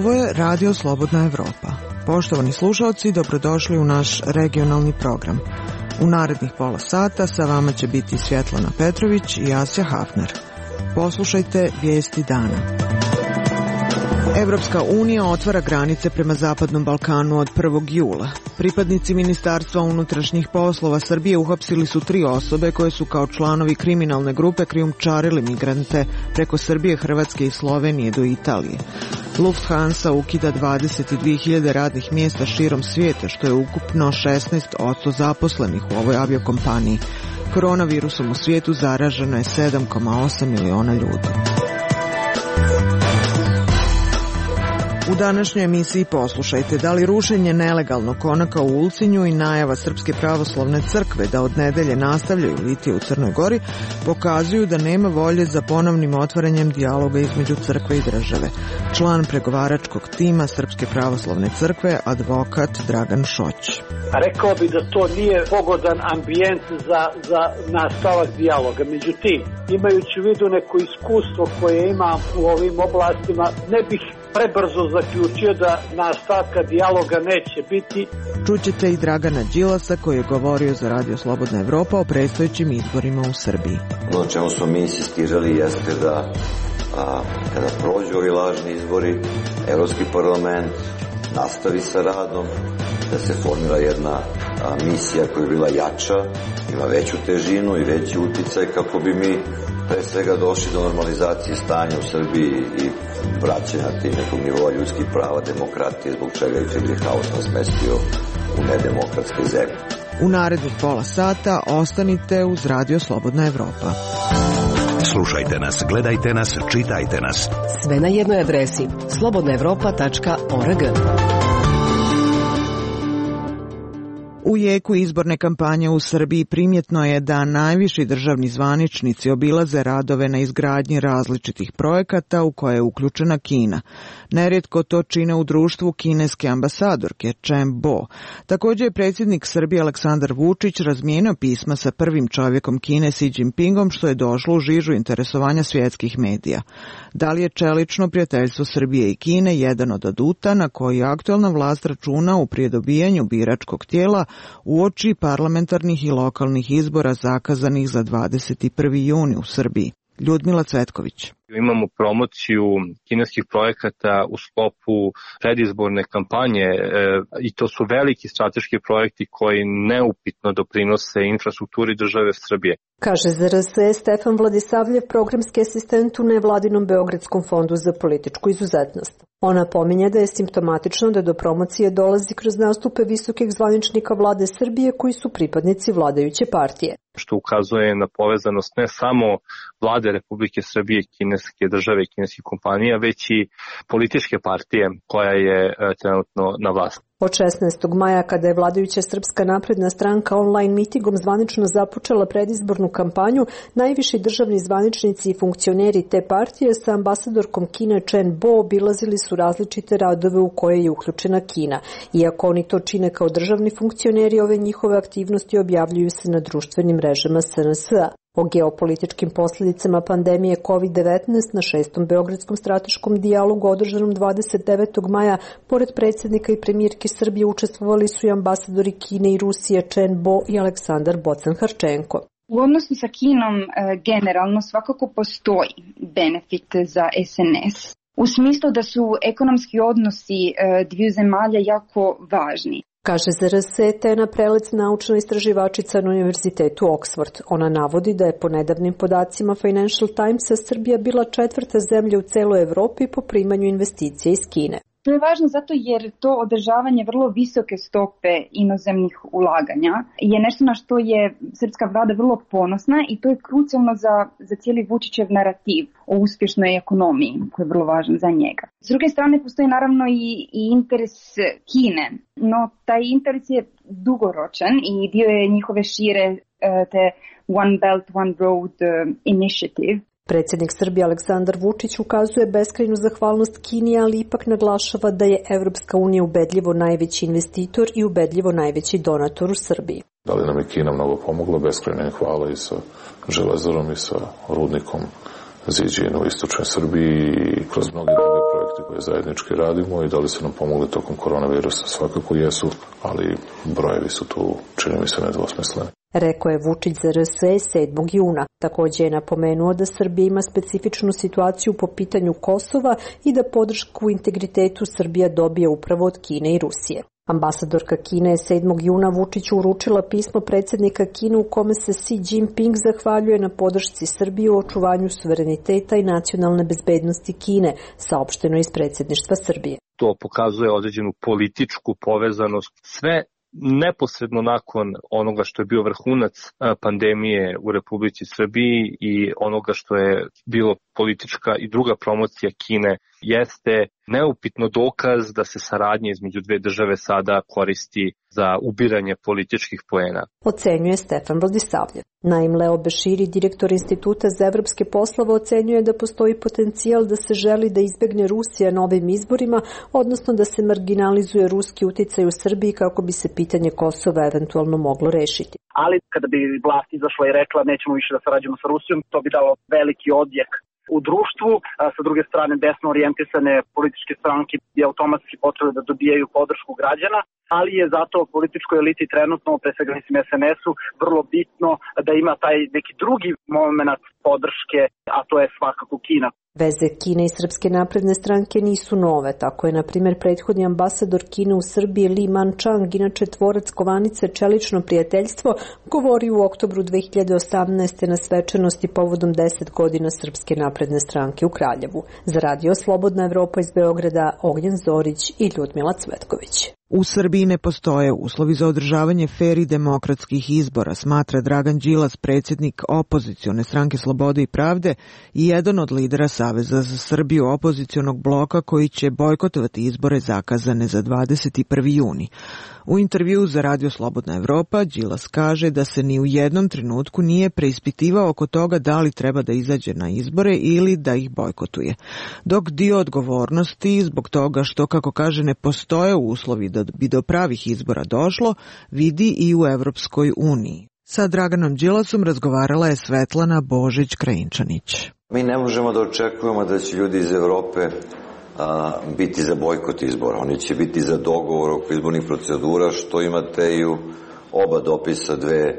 Ovo je Radio Slobodna Evropa. Poštovani slušalci, dobrodošli u naš regionalni program. U narednih pola sata sa vama će biti Svjetlana Petrović i Asja Hafner. Poslušajte vijesti dana. Evropska unija otvara granice prema Zapadnom Balkanu od 1. jula. Pripadnici Ministarstva unutrašnjih poslova Srbije uhapsili su 3 osobe koje su kao članovi kriminalne grupe krijumčarili migrante preko Srbije, Hrvatske i Slovenije do Italije. Lufthansa ukida 22.000 radnih mjesta širom svijeta, što je ukupno 16% zaposlenih u ovoj aviokompaniji. Koronavirusom u svijetu zaraženo je 7,8 miliona ljudi. U današnjoj emisiji poslušajte da li rušenje nelegalnog konaka u Ulcinju i najava Srpske pravoslavne crkve da od nedelje nastavljaju litije u Crnoj Gori pokazuju da nema volje za ponovnim otvaranjem dijaloga između crkve i države. Član pregovaračkog tima Srpske pravoslavne crkve, advokat Dragan Šoć. Rekao bi da to nije pogodan ambijent za nastavak dijaloga. Međutim, imajući u vidu neko iskustvo koje imam u ovim oblastima, ne bih prebrzo zaključio da nastavka dijaloga neće biti. Čućete i Dragana Đilasa koji je govorio za Radio Slobodna Evropa o predstojećim izborima u Srbiji. Ono čemu smo mi insistirali jeste da kada prođu ovi lažni izbori, Evropski parlament nastavi sa radom, da se formira jedna misija koja je bila jača, ima veću težinu i veći uticaj kako bi mi pre svega došli do normalizacije stanja u Srbiji i vraćanja tih nekog nivoa ljudskih prava, demokratije, zbog čega je Friedrich Haus nas smestio u nedemokratske zemlje. U narednih pola sata ostanite uz Radio Slobodna Evropa. Slušajte nas, gledajte nas, čitajte nas. Sve na jednoj adresi slobodnaevropa.org. U jeku izborne kampanje u Srbiji primjetno je da najviši državni zvaničnici obilaze radove na izgradnji različitih projekata u koje je uključena Kina. Nerijetko to čine u društvu kineske ambasadorke Chen Bo. Također je predsjednik Srbije Aleksandar Vučić razmijenio pisma sa prvim čovjekom Kine Xi Jinpingom, što je došlo u žižu interesovanja svjetskih medija. Da li je čelično prijateljstvo Srbije i Kine jedan od aduta na koji aktualna vlast računa u prije dobijanju biračkog tijela uoči parlamentarnih i lokalnih izbora zakazanih za 21. juni u Srbiji? Ljudmila Cvetković. Imamo promociju kineskih projekata u sklopu predizborne kampanje i to su veliki strateški projekti koji neupitno doprinose infrastrukturi države Srbije. Kaže za RS Stefan Vladisavljev, programski asistent u nevladinom Beogradskom fondu za političku izuzetnost. Ona pominje da je simptomatično da do promocije dolazi kroz nastupe visokih zvaničnika vlade Srbije koji su pripadnici vladajuće partije. Što ukazuje na povezanost ne samo vlade Republike Srbije, kineske države i kineskih kompanija, već i političke partije koja je trenutno na vlasti. Od 16. maja, kada je vladajuća Srpska napredna stranka online mitingom zvanično započela predizbornu kampanju, najviši državni zvaničnici i funkcioneri te partije sa ambasadorkom Kine Chen Bo obilazili su različite radove u koje je uključena Kina. Iako oni to čine kao državni funkcioneri, ove njihove aktivnosti objavljuju se na društvenim mrežama SNS-a. O geopolitičkim posljedicama pandemije COVID-19 na 6. Beogradskom strateškom dijalogu održanom 29. maja, pored predsjednika i premijerke Srbije učestvovali su i ambasadori Kine i Rusije Chen Bo i Aleksandar Bocan-Harčenko. U odnosu sa Kinom generalno svakako postoji benefit za SNS. U smislu da su ekonomski odnosi dviju zemalja jako važni. Kaže za RS Tena Prelec, naučna istraživačica na Univerzitetu Oxford. Ona navodi da je po nedavnim podacima Financial Timesa Srbija bila 4. zemlja u celoj Evropi po primanju investicija iz Kine. To je važno zato jer to održavanje vrlo visoke stope inozemnih ulaganja je nešto na što je srpska vlada vrlo ponosna i to je krucijalno za cijeli Vučićev narativ o uspješnoj ekonomiji koji je vrlo važan za njega. S druge strane postoji naravno i interes Kine, no taj interes je dugoročan i dio je njihove šire te One Belt, One Road initiative. Predsjednik Srbije Aleksandar Vučić ukazuje beskrajnu zahvalnost Kini, ali ipak naglašava da je Evropska unija ubedljivo najveći investitor i ubedljivo najveći donator u Srbiji. Da li nam je Kina mnogo pomogla, beskrajna hvala i sa železarom i sa rudnikom Ziđinu u istočnoj Srbiji i kroz mnoge druge projekte koje zajednički radimo i da li su nam pomogli tokom koronavirusa, svakako jesu, ali brojevi su tu, čini mi se, nedvosmisleni. Rekao je Vučić za RS 7. juna. Također je napomenuo da Srbija ima specifičnu situaciju po pitanju Kosova i da podršku integritetu Srbija dobije upravo od Kine i Rusije. Ambasadorka Kine je 7. juna Vučiću uručila pismo predsjednika Kine u kome se Xi Jinping zahvaljuje na podršci Srbije u očuvanju suvereniteta i nacionalne bezbednosti Kine, saopšteno iz predsjedništva Srbije. To pokazuje određenu političku povezanost. Sve neposredno nakon onoga što je bio vrhunac pandemije u Republici Srbiji i onoga što je bilo politička i druga promocija Kine, jeste neupitno dokaz da se saradnja između dve države sada koristi za ubiranje političkih poena. Ocenjuje Stefan Vladisavljev. Naim Leo Beširi, direktor Instituta za evropske poslove, ocenjuje da postoji potencijal da se želi da izbegne Rusija na ovim izborima, odnosno da se marginalizuje ruski uticaj u Srbiji kako bi se pitanje Kosova eventualno moglo rešiti. Ali kada bi vlast izašla i rekla nećemo više da sarađujemo sa Rusijom, to bi dalo veliki odjek u društvu. Sa druge strane, desno orijentisane političke stranke je automatski potrebno da dobijaju podršku građana, ali je zato političkoj eliti trenutno, pre svega mislim SNS-u, vrlo bitno da ima taj neki drugi moment podrške, a to je svakako Kina. Veze Kine i Srpske napredne stranke nisu nove, tako je na primjer prethodni ambasador Kine u Srbiji Li Manchang, inače tvorac kovanice Čelično prijateljstvo, govorio u oktobru 2018. na svečanosti povodom 10 godina Srpske napredne stranke u Kraljevu. Za Radio Slobodna Evropa iz Beograda, Ognjen Zorić i Ljudmila Cvetković. U Srbiji ne postoje uslovi za održavanje fer i demokratskih izbora, smatra Dragan Đilas, predsjednik opozicione stranke Slobode i pravde i jedan od lidera Saveza za Srbiju opozicionog bloka koji će bojkotovati izbore zakazane za 21. juni. U intervjuu za Radio Slobodna Evropa Đilas kaže da se ni u jednom trenutku nije preispitivao oko toga da li treba da izađe na izbore ili da ih bojkotuje. Dok dio odgovornosti zbog toga što, kako kaže, ne postoje uslovi da bi do pravih izbora došlo, vidi i u Evropskoj uniji. Sa Draganom Đilasom razgovarala je Svetlana Božić-Krajinčanić. Mi ne možemo da očekujemo da će ljudi iz Evrope biti za bojkot izbora. Oni će biti za dogovor oko izbornih procedura, što imate i u oba dopisa dve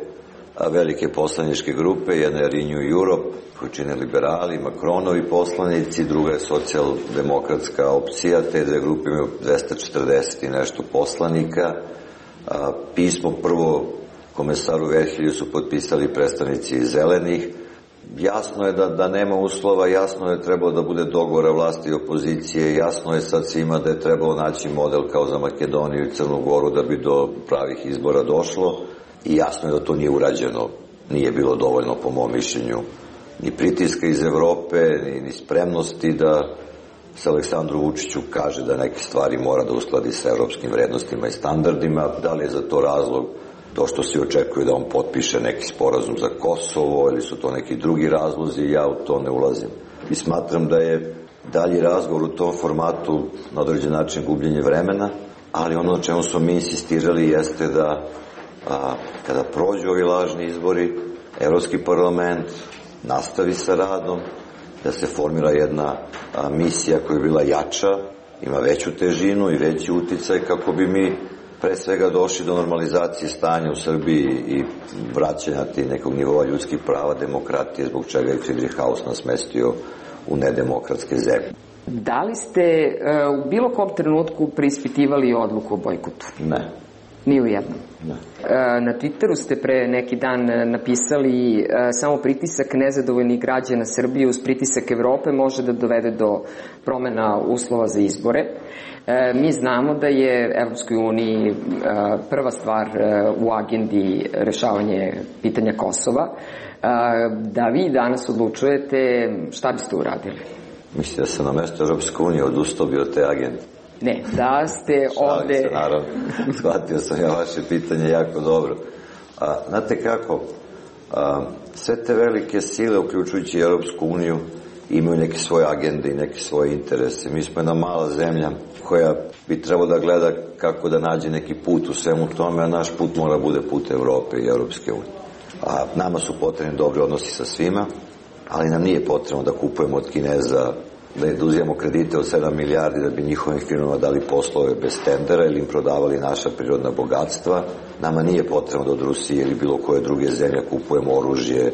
velike poslaničke grupe. Jedna je Renew Europe, koju čine liberali, Macronovi poslanici, druga je socijaldemokratska opcija. Te dve grupe imaju 240 i nešto poslanika. Pismo prvo komesaru Verhelju su potpisali predstavnici zelenih. Jasno je da nema uslova, jasno je trebalo da bude dogovora vlasti i opozicije, jasno je sad svima da je trebalo naći model kao za Makedoniju i Crnu Goru da bi do pravih izbora došlo i jasno je da to nije urađeno. Nije bilo dovoljno, po mom mišljenju, ni pritiska iz Evrope, ni spremnosti da se Aleksandru Vučiću kaže da neke stvari mora da uskladi sa evropskim vrednostima i standardima. Da li je za to razlog to što se očekuje da on potpiše neki sporazum za Kosovo ili su to neki drugi razlozi, ja u to ne ulazim. I smatram da je dalji razgovor u tom formatu na određen način gubljenje vremena, ali ono na čemu smo mi insistirali jeste da kada prođu ovi lažni izbori, Evropski parlament nastavi sa radom, da se formira jedna misija koja je bila jača, ima veću težinu i veći uticaj kako bi mi pre svega došli do normalizacije stanja u Srbiji i vraćanja nekog nivoa ljudskih prava, demokratije, zbog čega je Friedrichshaus nas smestio u nedemokratske zemlje. Da li ste u bilo kom trenutku preispitivali odluku o bojkotu? Ne. Ni u jednom? Ne. Na Twitteru ste pre neki dan napisali samo pritisak nezadovoljnih građana Srbije uz pritisak Evrope može da dovede do promena uslova za izbore. Mi znamo da je Evropskoj uniji prva stvar u agendi rešavanje pitanja Kosova. Da vi danas odlučujete, šta biste uradili? Mislite da sam na mesto Evropske unije odustao bi od te agende? Ne, da ste ovde... Šalim se, naravno. Shvatio sam ja vaše pitanje jako dobro. Znate kako, sve te velike sile, uključujući Evropsku uniju, imaju neke svoje agende i neke svoje interese. Mi smo jedna mala zemlja koja bi trebalo da gleda kako da nađe neki put u svemu tome, a naš put mora bude put Evrope i Evropske unije. Nama su potrebni dobri odnosi sa svima, ali nam nije potrebno da kupujemo od Kineza da uzijemo kredite od 7 milijardi da bi njihovim firmama dali poslove bez tendera ili im prodavali naša prirodna bogatstva. Nama nije potrebno da od Rusije ili bilo koje druge zemlje kupujemo oružje,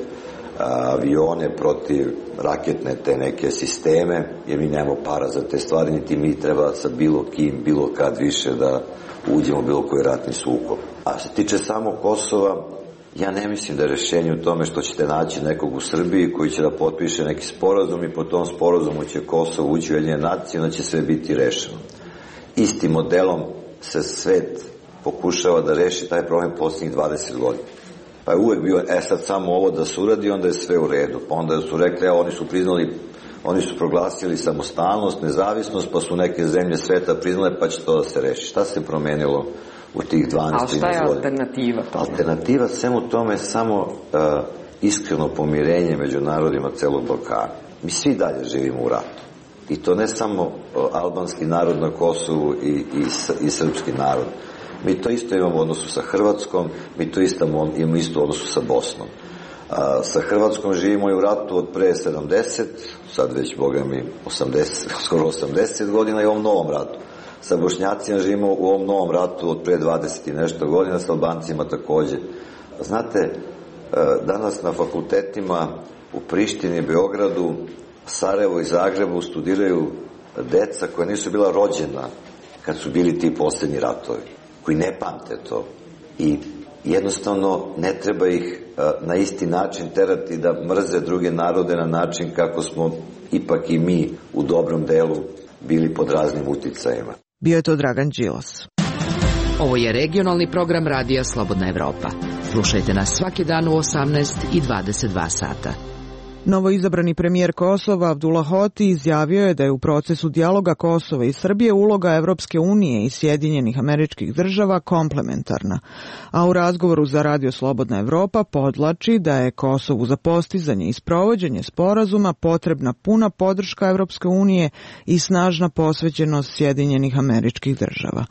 avione protiv raketne te neke sisteme, jer mi nemamo para za te stvari, niti mi treba sa bilo kim, bilo kad više da uđemo u bilo koji ratni sukob. A što se tiče samog Kosova, ja ne mislim da je rešenje u tome što ćete naći nekog u Srbiji koji će da potpiše neki sporazum i po tom sporazumu će Kosovo ući u Ujedinjene nacije, onda će sve biti rešeno. Istim modelom se svet pokušava da reši taj problem posljednjih 20 godina. Pa je uvek bio, sad samo ovo da se uradi, onda je sve u redu. Pa onda su rekli, oni su proglasili samostalnost, nezavisnost, pa su neke zemlje sveta priznale, pa će to da se reši. Šta se promenilo u tih 12-13 godina? A šta je alternativa? Alternativa svemu tome je samo iskreno pomirenje među narodima celog Balkana. Mi svi dalje živimo u ratu. I to ne samo albanski narod na Kosovu i srpski narod. Mi to isto imamo u odnosu sa Hrvatskom, mi to imamo isto u odnosu sa Bosnom. Sa Hrvatskom živimo i u ratu od pre 70, sad već, boga mi, 80, skoro 80 godina i u ovom novom ratu. Sa Bošnjacima živimo u ovom novom ratu od pre 20 i nešto godina, sa Albancima takođe. Znate, danas na fakultetima u Prištini, Beogradu, Sarajevu i Zagrebu studiraju deca koja nisu bila rođena kad su bili ti poslednji ratovi, koji ne pamte to. I jednostavno ne treba ih na isti način terati da mrze druge narode na način kako smo ipak i mi u dobrom delu bili pod raznim uticajima. Bio je to Dragan Đilas. Ovo je regionalni program Radija Slobodna Evropa. Slušajte nas svaki dan u 18 i 22 sata. Novoizabrani premijer Kosova Abdullah Hoti izjavio je da je u procesu dijaloga Kosova i Srbije uloga Evropske unije i Sjedinjenih Američkih Država komplementarna, a u razgovoru za Radio Slobodna Evropa podlači da je Kosovu za postizanje i sprovođenje sporazuma potrebna puna podrška Evropske unije i snažna posvećenost Sjedinjenih Američkih Država.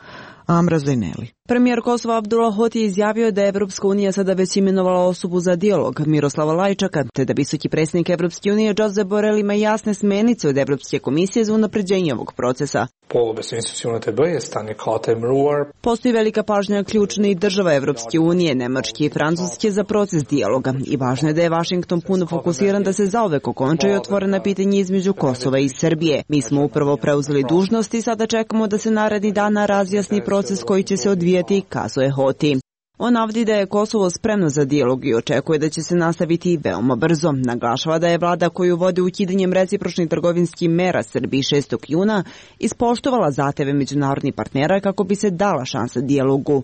Amra Zaineli. Premijer Kosova Abdullah Hoti izjavio da je Evropska unija sada već imenovala osobu za dijalog, Miroslava Lajčaka, te da visoki predsjednik Evropske unije Josep Borrell ima jasne smjernice od Evropske komisije za unapređenje ovog procesa. Postoji velika pažnja ključnih država Evropske unije, Nemačke i Francuske za proces dijaloga i važno je da je Vašington puno fokusiran da se zauvek okonča i otvorena pitanje između Kosova i Srbije. Mi smo upravo preuzeli dužnost i sada čekamo da se naredni dana razjasni proces koji će se odvijati, kazuje Hoti. On navodi da je Kosovo spremno za dijalog i očekuje da će se nastaviti veoma brzo. Naglašava da je vlada koju vodi ukidanjem recipročnih trgovinskih mera Srbiji 6. juna ispoštovala zahteve međunarodnih partnera kako bi se dala šansa dijalogu.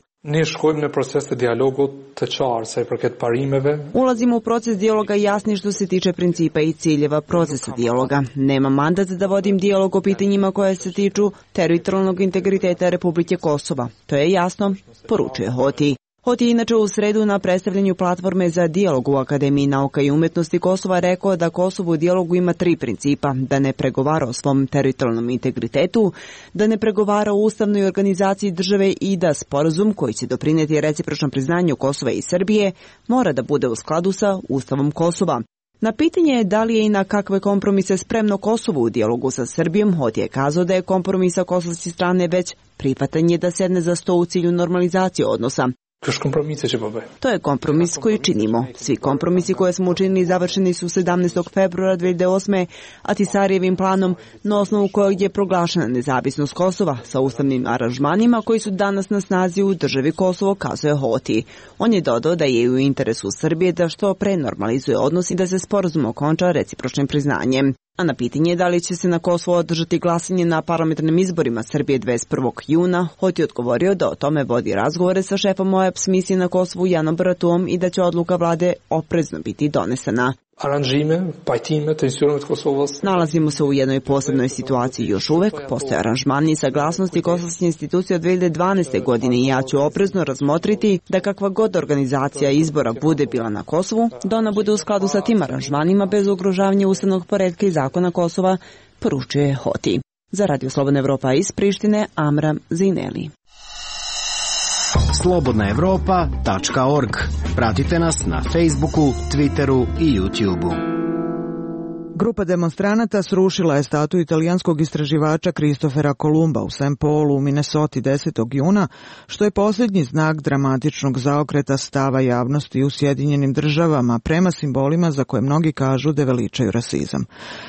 Ulazimo u proces dijaloga jasni što se tiče principa i ciljeva procesa dijaloga. Nema mandat da vodim dijalog o pitanjima koje se tiču teritorijalnog integriteta Republike Kosova. To je jasno, poručuje Hoti. Hoti je inače u sredu na predstavljanju platforme za dijalog u Akademiji nauka i umetnosti Kosova rekao da Kosovo u dijalogu ima 3 principa: da ne pregovara o svom teritorijalnom integritetu, da ne pregovara o ustavnoj organizaciji države i da sporazum koji će doprineti recipročnom priznanju Kosova i Srbije mora da bude u skladu sa Ustavom Kosova. Na pitanje je da li je i na kakve kompromise spremno Kosovo u dijalogu sa Srbijom, Hoti je kazao da je kompromis sa kosovske strane već prihvatanje da sedne za sto u cilju normalizacije odnosa. To je kompromis koji činimo. Svi kompromisi koje smo učinili završeni su 17. februara 2008. Ahtisarijevim planom, na osnovu kojeg je proglašena nezavisnost Kosova sa ustavnim aranžmanima koji su danas na snazi u državi Kosovo, kazuje Hoti. On je dodao da je u interesu Srbije da što pre normalizuje odnos i da se sporazum okonča recipročnim priznanjem. A na pitanje da li će se na Kosovo održati glasanje na parlamentarnim izborima Srbije 21. juna, Hoti je odgovorio da o tome vodi razgovore sa šefom OEBS misije na Kosovu Janom Bratuom i da će odluka vlade oprezno biti donesena. Nalazimo se u jednoj posebnoj situaciji još uvek, postoje aranžmani i saglasnosti kosovske institucije od 2012. godine i ja ću oprezno razmotriti da kakva god organizacija izbora bude bila na Kosovu, da ona bude u skladu sa tim aranžmanima bez ugrožavanja ustavnog poretka i zakona Kosova, poručuje Hoti. Za Radio Slobodna Evropa iz Prištine, Amra Zaineli. slobodnaevropa.org. Pratite nas na Facebooku, Twitteru i YouTubeu. Grupa demonstranata srušila je statu italijanskog istraživača Kristofera Kolumba u St. Paulu u Minnesoti 10. juna, što je posljednji znak dramatičnog zaokreta stava javnosti u Sjedinjenim državama prema simbolima za koje mnogi kažu da veličaju rasizam.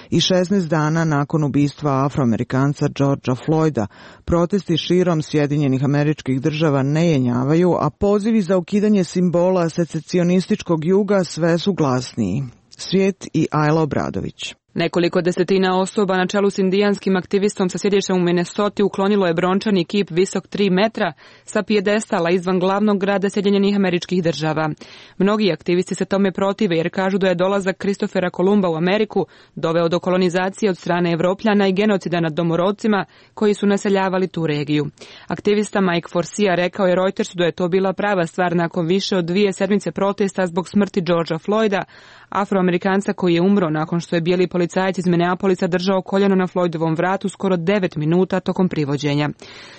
I 16 dana nakon ubistva Afroamerikanca Georgea Floyda, protesti širom Sjedinjenih Američkih Država ne jenjavaju, a pozivi za ukidanje simbola secesionističkog juga sve su glasniji. Svijet i Ajla Obradović. Nekoliko desetina osoba na čelu s indijanskim aktivistom sa sjedištem u Minnesoti uklonilo je brončani kip visok 3 metra sa pijedestala izvan glavnog grada Sjedinjenih Američkih Država. Mnogi aktivisti se tome protive jer kažu da je dolazak Kristofera Kolumba u Ameriku doveo do kolonizacije od strane Evropljana i genocida nad domorodcima koji su naseljavali tu regiju. Aktivista Mike Forcia rekao je Reutersu da je to bila prava stvar nakon više od 2 sedmice protesta zbog smrti Georgea Floyda, Afroamerikanca koji je umro nakon što je bijeli policajac iz Minneapolisa držao koljeno na Floydovom vratu skoro 9 minuta tokom privođenja.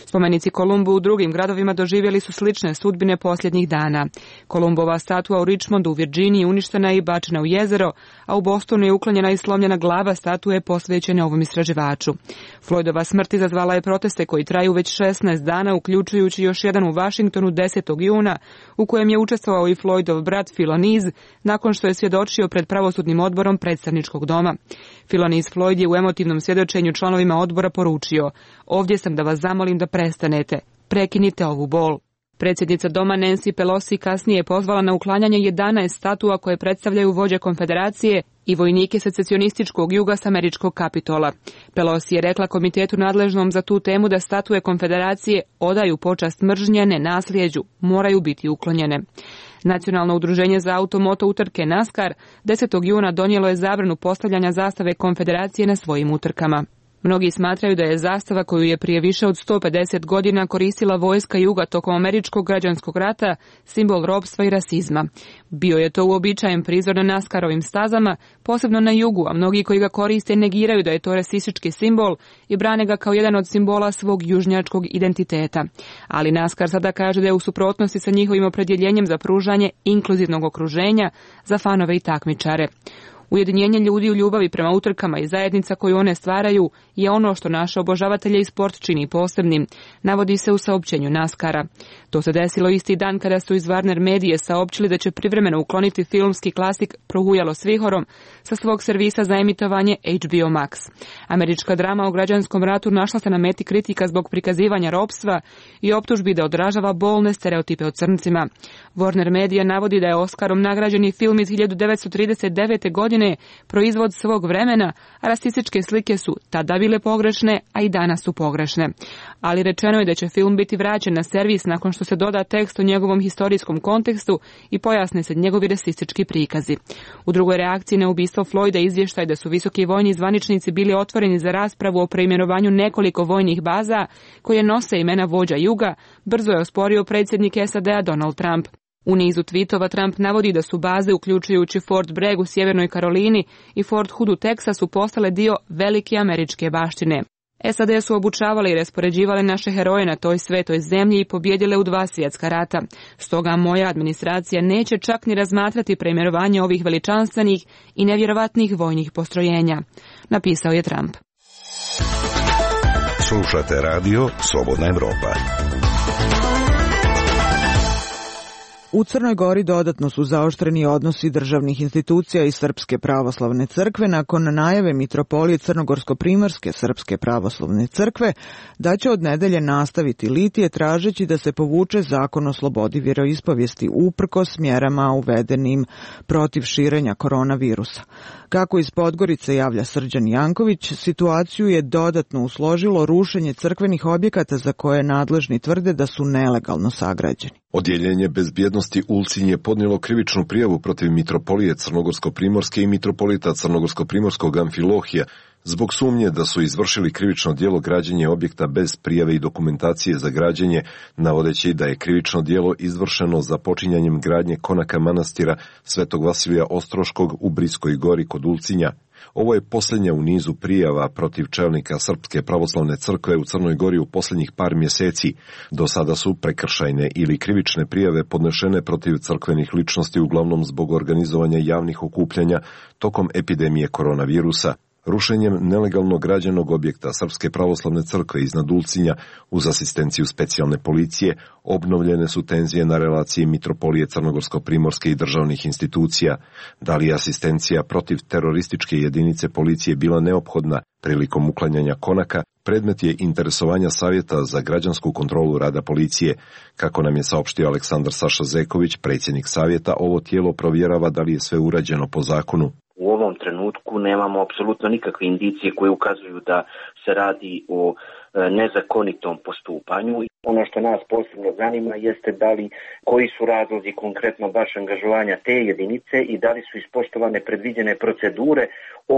Spomenici Kolumbu u drugim gradovima doživjeli su slične sudbine posljednjih dana. Kolumbova statua u Richmondu u Virginiji uništena je i bačena u jezero, a u Bostonu je uklonjena i slomljena glava statue posvećene ovom istraživaču. Floydova smrt izazvala je proteste koji traju već 16 dana, uključujući još jedan u Washingtonu 10. juna, u kojem je učestvovao i Floydov brat Philonise, nakon što je svjedočio pred pravosudnim odborom predstavničkog doma. Philonise Floyd je u emotivnom svjedočenju članovima odbora poručio: "Ovdje sam da vas zamolim da prestanete. Prekinite ovu bol." Predsjednica doma Nancy Pelosi kasnije je pozvala na uklanjanje 11 statua koje predstavljaju vođe konfederacije i vojnike secesionističkog juga s američkog Kapitola. Pelosi je rekla komitetu nadležnom za tu temu da statue konfederacije odaju počast mržnje, ne nasljeđu, moraju biti uklonjene. Nacionalno udruženje za automoto utrke NASCAR 10. juna donijelo je zabranu postavljanja zastave konfederacije na svojim utrkama. Mnogi smatraju da je zastava koju je prije više od 150 godina koristila vojska juga tokom američkog građanskog rata simbol ropstva i rasizma. Bio je to uobičajen prizor na NASCAR-ovim stazama, posebno na jugu, a mnogi koji ga koriste negiraju da je to rasistički simbol i brane ga kao jedan od simbola svog južnjačkog identiteta. Ali NASCAR sada kaže da je u suprotnosti sa njihovim opredjeljenjem za pružanje inkluzivnog okruženja za fanove i takmičare. Ujedinjenje ljudi u ljubavi prema utrkama i zajednica koju one stvaraju je ono što naše obožavatelje i sport čini posebnim, navodi se u saopćenju NASCAR-a. To se desilo isti dan kada su iz Warner Medije saopćili da će privremeno ukloniti filmski klasik Prohujalo s vihorom sa svog servisa za emitovanje HBO Max. Američka drama o građanskom ratu našla se na meti kritika zbog prikazivanja ropstva i optužbi da odražava bolne stereotipe o crncima. Warner Media navodi da je Oskarom nagrađeni film iz 1939. godine proizvod svog vremena, a rasističke slike su tada bile pogrešne, a i danas su pogrešne. Ali rečeno je da će film biti vraćen na servis nakon što se doda tekst o njegovom historijskom kontekstu i pojasne se njegovi rasistički prikazi. U drugoj reakciji na ubistvo Floyda izvještaj da su visoki vojni zvaničnici bili otvoreni za raspravu o preimenovanju nekoliko vojnih baza koje nose imena vođa juga, brzo je osporio predsjednik SAD-a Donald Trump. U nizu tweetova Trump navodi da su baze, uključujući Fort Bragg u Sjevernoj Karolini i Fort Hood u Teksasu, postale dio velike američke baštine. SAD su obučavali i raspoređivali naše heroje na toj svetoj zemlji i pobjedile u 2 svjetska rata. Stoga moja administracija neće čak ni razmatrati preimenovanje ovih veličanstvenih i nevjerovatnih vojnih postrojenja, napisao je Trump. Slušate radio Slobodna Evropa. U Crnoj Gori dodatno su zaoštreni odnosi državnih institucija i Srpske pravoslavne crkve nakon najave mitropolije Crnogorsko-primorske Srpske pravoslavne crkve da će od nedelje nastaviti litije tražeći da se povuče zakon o slobodi vjeroispovijesti uprkos mjerama uvedenim protiv širenja koronavirusa. Kako iz Podgorice javlja Srđan Janković, situaciju je dodatno usložilo rušenje crkvenih objekata za koje nadležni tvrde da su nelegalno sagrađeni. Odjeljenje bezbjednosti Ulcinj je podnijelo krivičnu prijavu protiv mitropolije Crnogorsko-primorske i mitropolita Crnogorsko-primorskog Amfilohija Zbog sumnje da su izvršili krivično djelo građenje objekta bez prijave i dokumentacije za građenje, navodeći da je krivično djelo izvršeno za počinjanjem gradnje konaka manastira Svetog Vasilija Ostroškog u Briskoj gori kod Ulcinja. Ovo je posljednja u nizu prijava protiv čelnika Srpske pravoslavne crkve u Crnoj Gori u posljednjih par mjeseci. Do sada su prekršajne ili krivične prijave podnešene protiv crkvenih ličnosti uglavnom zbog organizovanja javnih okupljanja tokom epidemije koronavirusa. Rušenjem nelegalno građenog objekta Srpske pravoslavne crkve iznad Ulcinja uz asistenciju specijalne policije obnovljene su tenzije na relaciji Mitropolije Crnogorsko-Primorske i državnih institucija. Da li je asistencija protiv terorističke jedinice policije bila neophodna prilikom uklanjanja konaka, predmet je interesovanja Savjeta za građansku kontrolu rada policije. Kako nam je saopštio Aleksandar Saša Zeković, predsjednik Savjeta, ovo tijelo provjerava da li je sve urađeno po zakonu. U ovom trenutku nemamo apsolutno nikakve indicije koje ukazuju da se radi o nezakonitom postupanju. Ono što nas posebno zanima jeste koji su razlozi konkretno baš angažovanja te jedinice i da li su ispoštovane predviđene procedure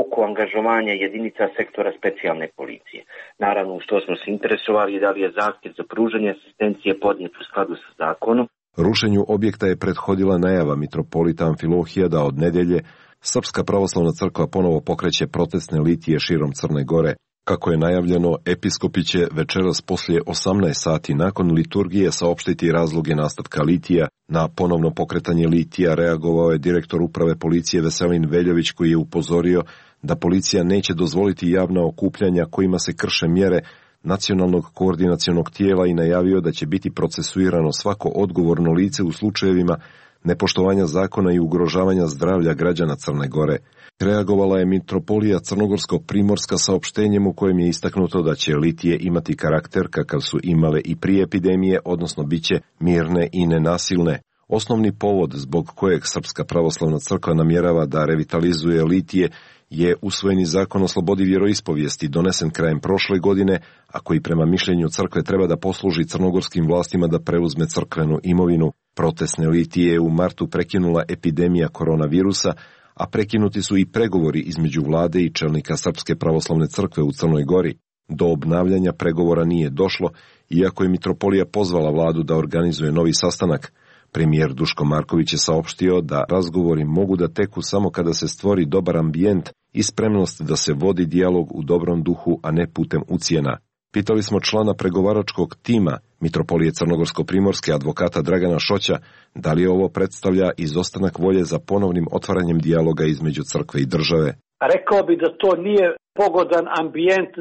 oko angažovanja jedinica sektora specijalne policije. Naravno, što smo se interesovali da li je zahtjev za pružanje asistencije podnijet u skladu sa zakonom. Rušenju objekta je prethodila najava mitropolita Amfilohija da od nedjelje Srpska pravoslavna crkva ponovo pokreće protestne litije širom Crne Gore. Kako je najavljeno, episkopi će večeras poslije 18 sati nakon liturgije saopštiti razloge nastavka litija. Na ponovno pokretanje litija reagovao je direktor uprave policije Veselin Veljović, koji je upozorio da policija neće dozvoliti javna okupljanja kojima se krše mjere nacionalnog koordinacionog tijela i najavio da će biti procesuirano svako odgovorno lice u slučajevima nepoštovanja zakona i ugrožavanja zdravlja građana Crne Gore. Reagovala je Mitropolija Crnogorsko-Primorska saopštenjem u kojem je istaknuto da će litije imati karakter kakav su imale i prije epidemije, odnosno bit će mirne i nenasilne. Osnovni povod zbog kojeg Srpska pravoslavna crkva namjerava da revitalizuje litije je usvojeni zakon o slobodi vjeroispovijesti donesen krajem prošle godine, a koji prema mišljenju crkve treba da posluži crnogorskim vlastima da preuzme crkvenu imovinu. Protestne litije je u martu prekinula epidemija koronavirusa, a prekinuti su i pregovori između vlade i čelnika Srpske pravoslavne crkve u Crnoj Gori. Do obnavljanja pregovora nije došlo, iako je mitropolija pozvala vladu da organizuje novi sastanak. Premijer Duško Marković je saopštio da razgovori mogu da teku samo kada se stvori dobar ambijent i spremnost da se vodi dijalog u dobrom duhu, a ne putem ucjena. Pitali smo člana pregovaračkog tima Mitropolije Crnogorsko-Primorske, advokata Dragana Šoća, da li ovo predstavlja izostanak volje za ponovnim otvaranjem dijaloga između crkve i države. Rekao bi da to nije pogodan ambijent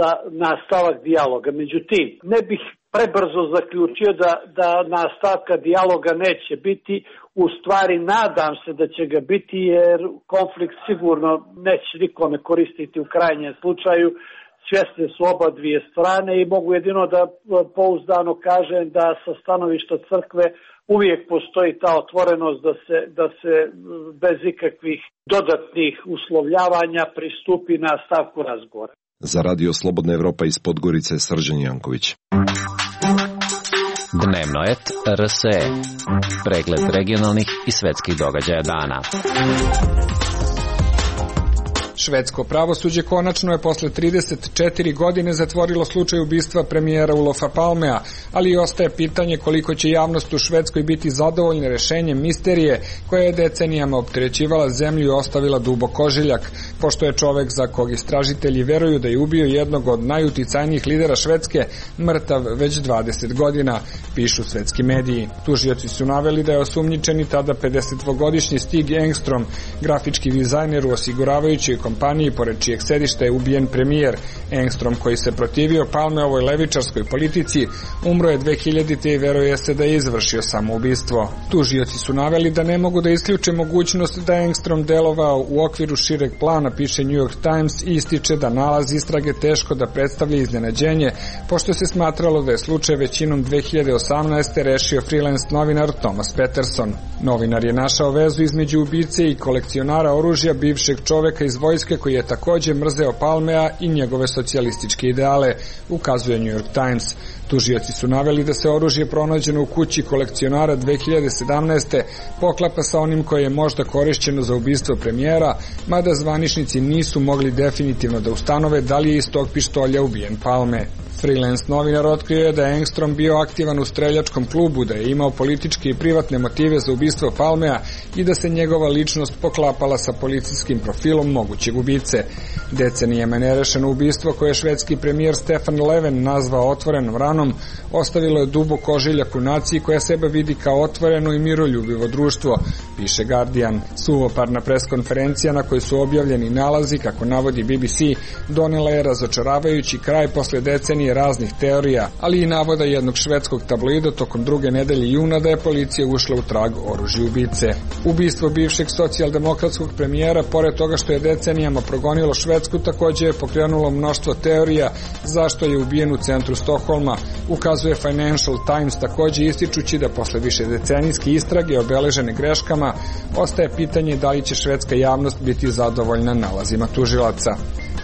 za nastavak dijaloga. Međutim, ne bih prebrzo zaključio da nastavka dijaloga neće biti. U stvari nadam se da će ga biti, jer konflikt sigurno neće nikome koristiti u krajnjem slučaju. Svjesne su oba dvije strane i mogu jedino da pouzdano kažem da sa stanovišta crkve uvijek postoji ta otvorenost da se bez ikakvih dodatnih uslovljavanja pristupi nastavku razgovora. Za Radio Slobodna Evropa iz Podgorice, Srđan Janković. Dnevno et RSE. Pregled regionalnih i svetskih događaja dana. Švedsko pravosuđe konačno je posle 34 godine zatvorilo slučaj ubistva premijera Olofa Palmea, ali i ostaje pitanje koliko će javnost u Švedskoj biti zadovoljna rešenjem misterije koja je decenijama opterećivala zemlju i ostavila dubok ožiljak, pošto je čovek za kog istražitelji veruju da je ubio jednog od najuticajnijih lidera Švedske mrtav već 20 godina, pišu svetski mediji. Tužioci su naveli da je osumnjičeni tada 52-godišnji Stig Engstrom, grafički dizajner u osiguravajućoj kompaniji pored čijeg sedišta je ubijen premijer. Engstrom, koji se protivio Palmeovoj levičarskoj politici, umro je 2000. i veruje se da je izvršio samoubistvo. Tužioci su naveli da ne mogu da isključe mogućnost da je Engstrom delovao u okviru šireg plana, piše New York Times, i ističe da nalaz istrage teško da predstavlja iznenađenje, pošto se smatralo da je slučaj većinom 2018. rešio freelance novinar Thomas Peterson. Novinar je našao vezu između ubice i kolekcionara oružja, bivšeg čoveka iz vojske koji je takođe mrzeo Palmea i njegove socijalističke ideale, ukazuje New York Times. Tužioci su naveli da se oružje pronađeno u kući kolekcionara 2017. poklapa sa onim koje je možda korišćeno za ubistvo premijera, mada zvaničnici nisu mogli definitivno da ustanove da li je iz tog pištolja ubijen Palme. Freelance novinar otkrio je da je Engstrom bio aktivan u streljačkom klubu, da je imao političke i privatne motive za ubistvo Palmea i da se njegova ličnost poklapala sa policijskim profilom mogućeg ubice. Decenijama nerešeno ubistvo koje je švedski premijer Stefan Löfven nazvao otvorenom ranom ostavilo je dubok ožiljak u naciji koja sebe vidi kao otvoreno i miroljubivo društvo, piše Guardian. Suvoparna preskonferencija na kojoj su objavljeni nalazi, kako navodi BBC, donela je razočaravajući kraj posle decenije raznih teorija, ali i navoda jednog švedskog tabloida tokom druge nedelje juna da je policija ušla u trag oružja ubice. Ubistvo bivšeg socijaldemokratskog premijera, pored toga što je decenijama progonilo Švedsku, takođe je pokrenulo mnoštvo teorija zašto je ubijen u centru Stokholma, ukazuje Financial Times, takođe ističući da posle višedecenijske istrage obeležene greškama ostaje pitanje da li će švedska javnost biti zadovoljna nalazima tužilaca.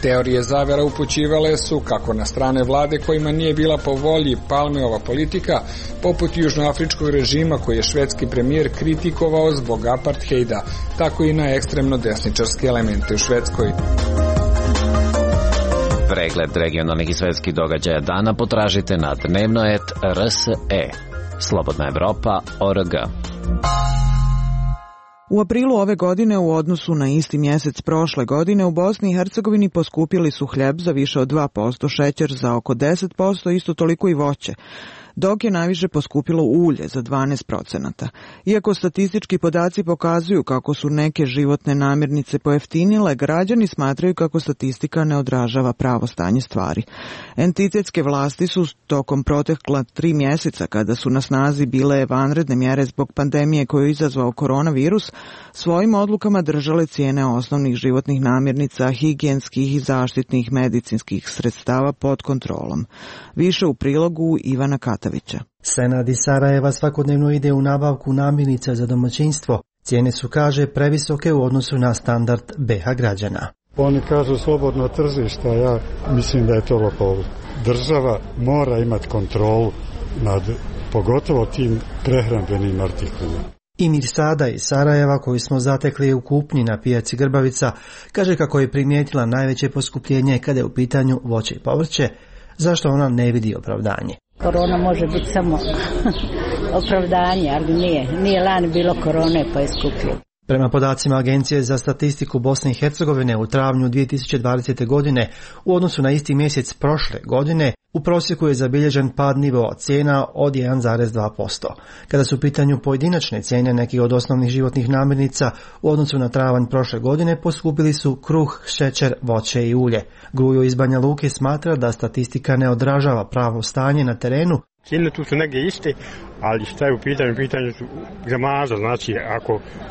Teorije zavera upućivale su kako na strane vlade kojima nije bila po volji Palmeova politika, poput južnoafričkog režima koji je švedski premijer kritikovao zbog apartheida, tako i na ekstremno desničarske elemente u Švedskoj. Pregled regionalnih i svetskih događaja dana potražite na dnevnoet.rse. Slobodna Evropa.org. U aprilu ove godine u odnosu na isti mjesec prošle godine u Bosni i Hercegovini poskupili su hljeb za više od 2%, šećer za oko 10%, isto toliko i voće, dok je najviše poskupilo ulje za 12%. Iako statistički podaci pokazuju kako su neke životne namirnice pojeftinile, građani smatraju kako statistika ne odražava pravo stanje stvari. Entitetske vlasti su tokom protekla 3 mjeseca, kada su na snazi bile vanredne mjere zbog pandemije koju je izazvao koronavirus, svojim odlukama držale cijene osnovnih životnih namirnica, higijenskih i zaštitnih medicinskih sredstava pod kontrolom. Više u prilogu Ivana Katavića. Senad iz Sarajeva svakodnevno ide u nabavku namirnica za domaćinstvo. Cijene su, kaže, previsoke u odnosu na standard BH građana. Oni kažu slobodno tržište, a ja mislim da je to lopovluk. Država mora imati kontrolu nad pogotovo tim prehrambenim artiklima. I Mirsada iz Sarajeva, koju smo zatekli u kupnji na pijaci Grbavica, kaže kako je primijetila najveće poskupljenje kada je u pitanju voće i povrće, zašto ona ne vidi opravdanje. Korona može biti samo opravdanje, ali nije lani bilo korone pa je skuplje. Prema podacima Agencije za statistiku Bosne i Hercegovine u travnju 2020. godine u odnosu na isti mjesec prošle godine u prosjeku je zabilježen pad nivoa cijena od 1,2%. Kada su u pitanju pojedinačne cijene nekih od osnovnih životnih namirnica u odnosu na travanj prošle godine poskupili su kruh, šećer, voće i ulje. Grujo iz Banja Luke smatra da statistika ne odražava pravo stanje na terenu. Cijene tu su negdje iste, ali šta je u pitanju su gramaža, znači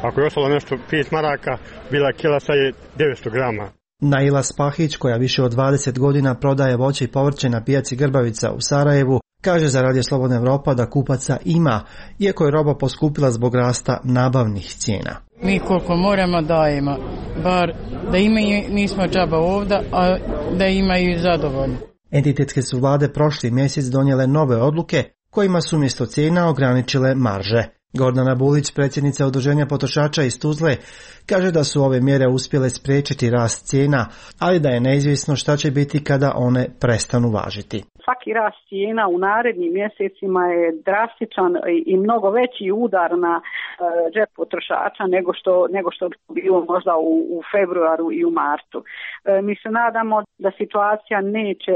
ako je ostalo nešto 5 maraka, bila kila sad je 900 grama. Naila Spahić, koja više od 20 godina prodaje voće i povrće na pijaci Grbavica u Sarajevu, kaže za Radio Slobodna Evropa da kupaca ima, iako je roba poskupila zbog rasta nabavnih cijena. Mi koliko moramo dajemo, bar da imaju, nismo džaba ovdje, a da imaju zadovoljni. Entitetske su vlade prošli mjesec donijele nove odluke kojima su umjesto cijena ograničile marže. Gordana Bulić, predsjednica Udruženja potrošača iz Tuzle, kaže da su ove mjere uspjele spriječiti rast cijena, ali da je neizvjesno šta će biti kada one prestanu važiti. Svaki rast cijena u narednim mjesecima je drastičan i mnogo veći udar na džep potrošača nego što bi bilo možda u februaru i u martu. Mi se nadamo da situacija neće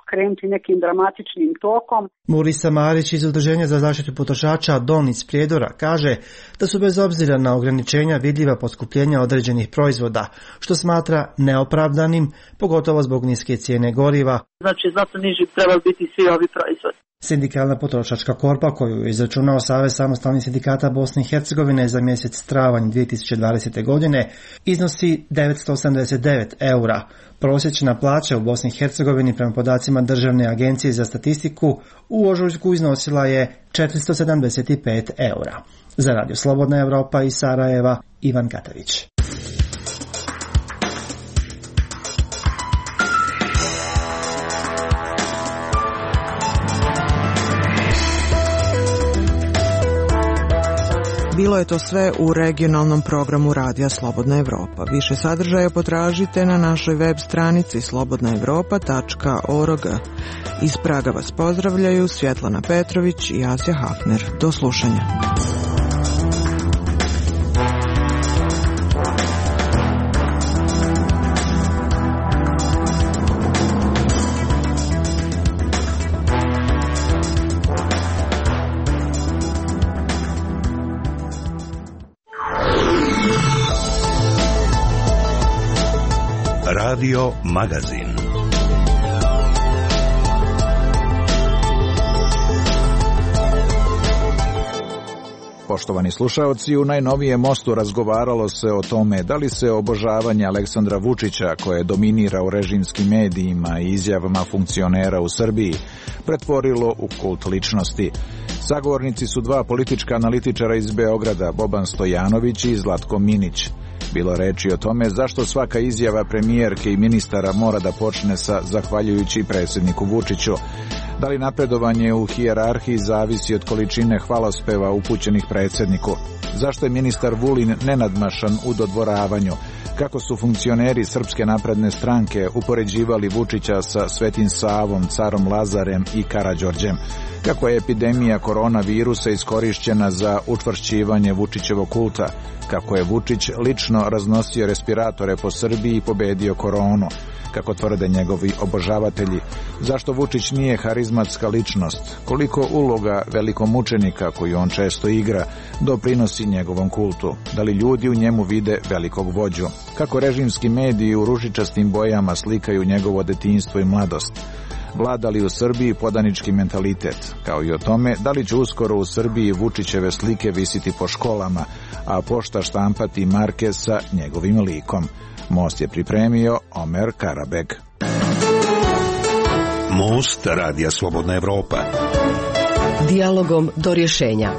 krenuti nekim dramatičnim tokom. Murisa Marić iz Udruženja za zaštitu potrošača Don iz Prijedora kaže da su bez obzira na ograničenja vidljiva poskupljenja određenih proizvoda, što smatra neopravdanim, pogotovo zbog niske cijene goriva. Znači, zato niži trebali biti svi ovi proizvodi. Sindikalna potrošačka korpa, koju je izračunao Savez samostalnih sindikata Bosne i Hercegovine za mjesec travanj 2020. godine, iznosi 989 eura. Prosječna plaća u Bosni i Hercegovini prema podacima Državne agencije za statistiku u ožujku iznosila je 475 eura. Za Radio Slobodna Evropa iz Sarajeva, Ivan Katavić. Bilo je to sve u regionalnom programu Radija Slobodna Evropa. Više sadržaja potražite na našoj web stranici slobodnaevropa.org. Iz Praga vas pozdravljaju Svjetlana Petrović i Asja Hafner. Do slušanja. Radio Magazin. Poštovani slušaoci, u najnovijem Mostu razgovaralo se o tome da li se obožavanje Aleksandra Vučića, koje dominira u režimskim medijima i izjavama funkcionera u Srbiji, pretvorilo u kult ličnosti. Sagovornici su dva politička analitičara iz Beograda, Boban Stojanović i Zlatko Minić. Bilo reči o tome zašto svaka izjava premijerke i ministara mora da počne sa zahvaljujući predsjedniku Vučiću. Da li napredovanje u hijerarhiji zavisi od količine hvalospeva upućenih predsjedniku? Zašto je ministar Vulin nenadmašan u dodvoravanju? Kako su funkcioneri Srpske napredne stranke upoređivali Vučića sa Svetim Savom, carom Lazarem i Karađorđem? Kako je epidemija koronavirusa iskorišćena za učvršćivanje Vučićevog kulta? Kako je Vučić lično raznosio respiratore po Srbiji i pobedio koronu? Kako tvrde njegovi obožavatelji? Zašto Vučić nije harizmatska ličnost? Koliko uloga velikomučenika, koju on često igra, doprinosi njegovom kultu? Da li ljudi u njemu vide velikog vođu? Kako režimski mediji u ružičastim bojama slikaju njegovo detinjstvo i mladost? Vlada li u Srbiji podanički mentalitet? Kao i o tome da li će uskoro u Srbiji Vučićeve slike visiti po školama, a pošta štampati marke sa njegovim likom? Most je pripremio Omer Karabeg. Most Radija Slobodna Evropa. Dijalogom do rješenja.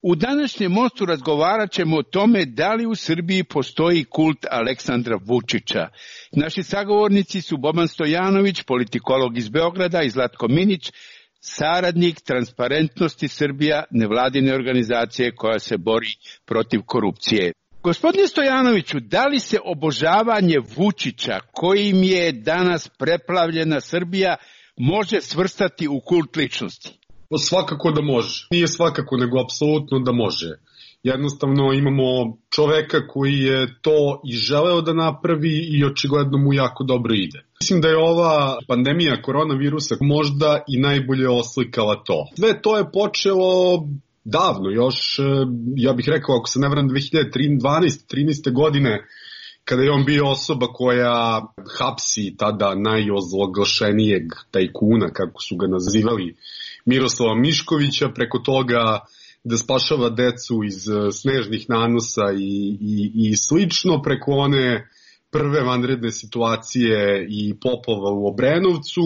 U današnjem Mostu razgovarat ćemo o tome da li u Srbiji postoji kult Aleksandra Vučića. Naši sagovornici su Boban Stojanović, politikolog iz Beograda, i Zlatko Minić, saradnik Transparentnosti Srbija, nevladine organizacije koja se bori protiv korupcije. Gospodine Stojanoviću, da li se obožavanje Vučića, kojim je danas preplavljena Srbija, može svrstati u kult ličnosti? Svakako da može. Nije svakako, nego apsolutno da može. Jednostavno imamo čoveka koji je to i želeo da napravi i očigledno mu jako dobro ide. Mislim da je ova pandemija koronavirusa možda i najbolje oslikala to. Sve to je počelo davno, još, ja bih rekao, ako se ne varam, 2012-13. godine, kada je on bio osoba koja hapsi tada najozloglašenijeg tajkuna, kako su ga nazivali, Miroslava Miškovića, preko toga da spašava decu iz snežnih nanosa i slično, preko one prve vanredne situacije i poplava u Obrenovcu.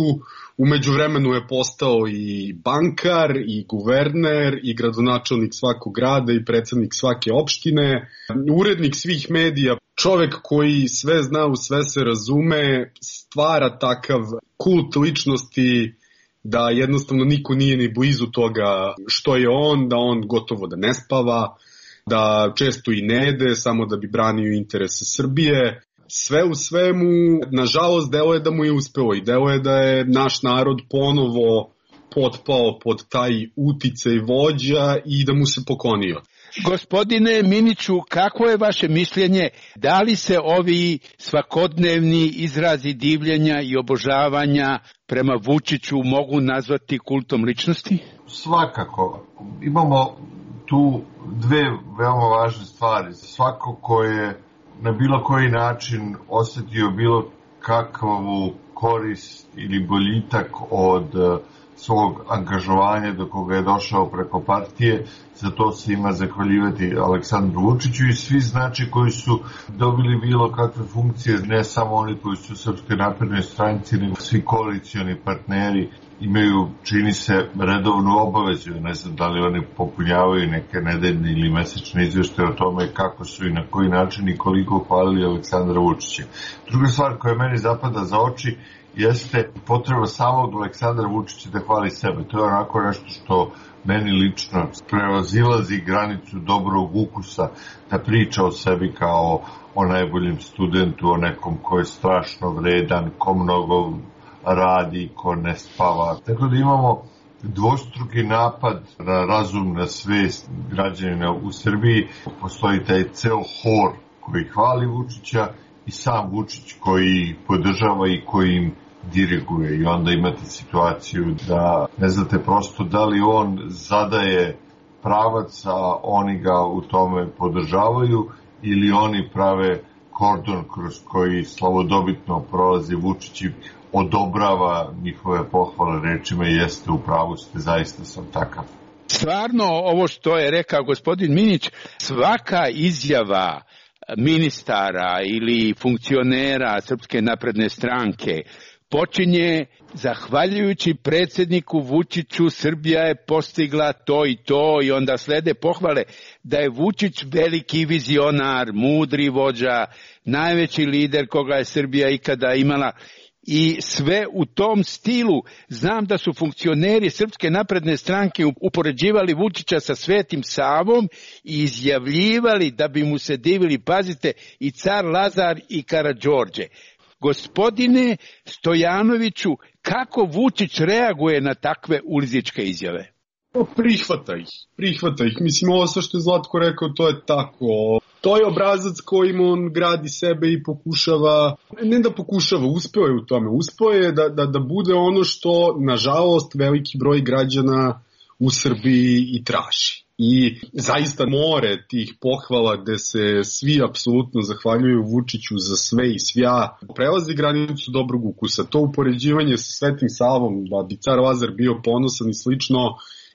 U međuvremenu je postao i bankar, i guverner, i gradonačelnik svakog grada, i predsednik svake opštine, urednik svih medija, čovek koji sve zna, u sve se razume, stvara takav kult ličnosti da jednostavno niko nije ni blizu toga što je on, da on gotovo da ne spava, da često i ne jede, samo da bi branio interese Srbije. Sve u svemu, nažalost, delo je da mu je uspelo i delo je da je naš narod ponovo potpao pod taj uticaj vođa i da mu se poklonio. Gospodine Miniću, kako je vaše mišljenje, da li se ovi svakodnevni izrazi divljenja i obožavanja prema Vučiću mogu nazvati kultom ličnosti? Svakako. Imamo tu dve veoma važne stvari. Svako ko je na bilo koji način osetio bilo kakvu korist ili boljitak od svog angažovanja do koga je došao preko partije, za to se ima zahvaljivati Aleksandru Vučiću i svi znači koji su dobili bilo kakve funkcije, ne samo oni koji su u Srpskoj naprednoj stranci, nego svi koalicioni partneri imaju, čini se, redovnu obavezu. Ne znam da li oni popunjavaju neke nedeljne ili mesečne izveštaje o tome kako su i na koji način i koliko hvalili Aleksandra Vučića. Druga stvar koja meni zapada za oči jeste potreba samog Aleksandra Vučića da hvali sebe. To je onako nešto što meni lično prevazilazi granicu dobrog ukusa, da priča o sebi kao o najboljem studentu, o nekom ko je strašno vredan, ko mnogo radi, ko ne spava. Tako da imamo dvostruki napad na razum, na svest građanina u Srbiji. Postoji taj ceo hor koji hvali Vučića i sam Vučić koji podržava i koji im diriguje. I onda imate situaciju da ne znate prosto da li on zadaje pravac, a oni ga u tome podržavaju, ili oni prave kordon kroz koji slavodobitno prolazi Vučić i odobrava njihove pohvale rečima jeste u pravu ste, zaista sam takav. Stvarno, ovo što je rekao gospodin Minić, svaka izjava ministara ili funkcionera Srpske napredne stranke počinje zahvaljujući predsjedniku Vučiću Srbija je postigla to i onda slede pohvale da je Vučić veliki vizionar, mudri vođa, najveći lider koga je Srbija ikada imala. I sve u tom stilu. Znam da su funkcioneri Srpske napredne stranke upoređivali Vučića sa Svetim Savom i izjavljivali da bi mu se divili, pazite, i car Lazar i Karađorđe. Gospodine Stojanoviću, kako Vučić reaguje na takve ulizičke izjave? Prihvata ih. Mislim, ovo sve što je Zlatko rekao, to je tako. To je obrazac kojim on gradi sebe i pokušava, ne da pokušava, uspeo je u tome. Uspeo je da bude ono što, nažalost, veliki broj građana u Srbiji i traži. I zaista more tih pohvala gde se svi apsolutno zahvaljuju Vučiću za sve i svja prelazi granicu dobrog ukusa. To upoređivanje sa Svetim Savom, da bi car Lazar bio ponosan i slično,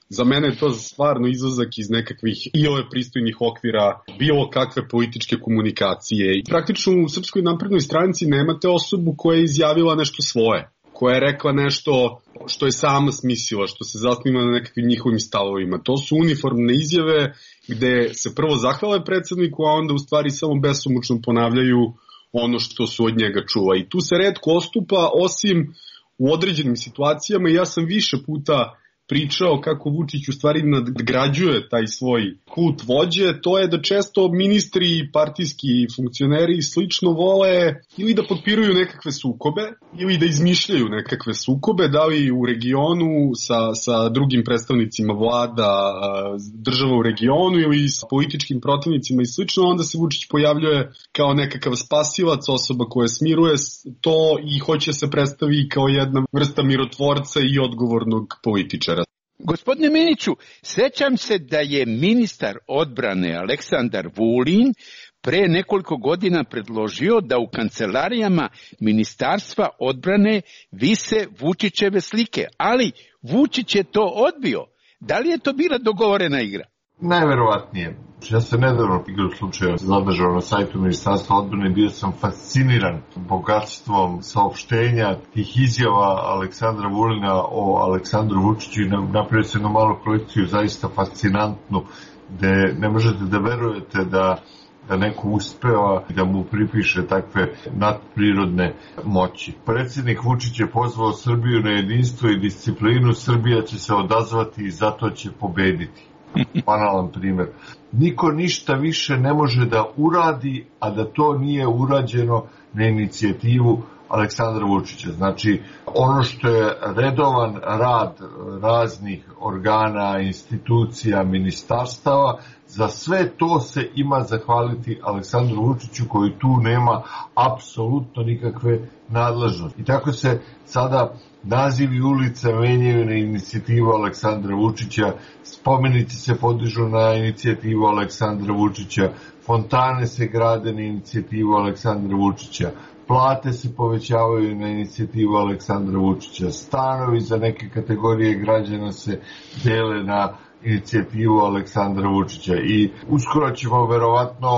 za mene je to stvarno izlazak iz nekakvih iole pristojnih okvira bilo kakve političke komunikacije. I praktično u Srpskoj naprednoj stranci nemate osobu koja je izjavila nešto svoje, koja je rekla nešto što je sama smislila, što se zasniva na nekakvim njihovim stavovima. To su uniformne izjave gde se prvo zahvale predsjedniku, a onda u stvari samo besomučno ponavljaju ono što su od njega čula. I tu se retko ostupa, osim u određenim situacijama. Ja sam više puta pričao kako Vučić u stvari nadgrađuje taj svoj kult vođe, to je da često ministri, partijski funkcioneri i slično vole ili da potpiruju nekakve sukobe ili da izmišljaju nekakve sukobe, da li u regionu sa drugim predstavnicima vlada, država u regionu ili sa političkim protivnicima i slično, onda se Vučić pojavljuje kao nekakav spasilac, osoba koja smiruje to i hoće se predstavi kao jedna vrsta mirotvorca i odgovornog političara. Gospodine Miniću, sećam se da je ministar odbrane Aleksandar Vulin pre nekoliko godina predložio da u kancelarijama Ministarstva odbrane vise Vučićeve slike, ali Vučić je to odbio. Da li je to bila dogovorena igra? Najverovatnije. Ja sam nedavno igru slučaja zadržao na sajtu Ministarstva odbrane i bio sam fasciniran bogatstvom saopštenja tih izjava Aleksandra Vulina o Aleksandru Vučiću i napravio se jednu malu kolekciju zaista fascinantnu, gde ne možete da verujete da neko uspeva da mu pripiše takve nadprirodne moći. Predsjednik Vučić je pozvao Srbiju na jedinstvo i disciplinu, Srbija će se odazvati i zato će pobediti. Banalan primjer. Niko ništa više ne može da uradi, a da to nije urađeno na inicijativu Aleksandra Vučića. Znači, ono što je redovan rad raznih organa, institucija, ministarstava, za sve to se ima zahvaliti Aleksandru Vučiću koji tu nema apsolutno nikakve nadležnosti. I tako se sada nazivi ulica menjaju na inicijativu Aleksandra Vučića, spomenici se podižu na inicijativu Aleksandra Vučića, fontane se grade na inicijativu Aleksandra Vučića, plate se povećavaju na inicijativu Aleksandra Vučića, stanovi za neke kategorije građana se dele na inicijativu Aleksandra Vučića i uskoro ćemo verovatno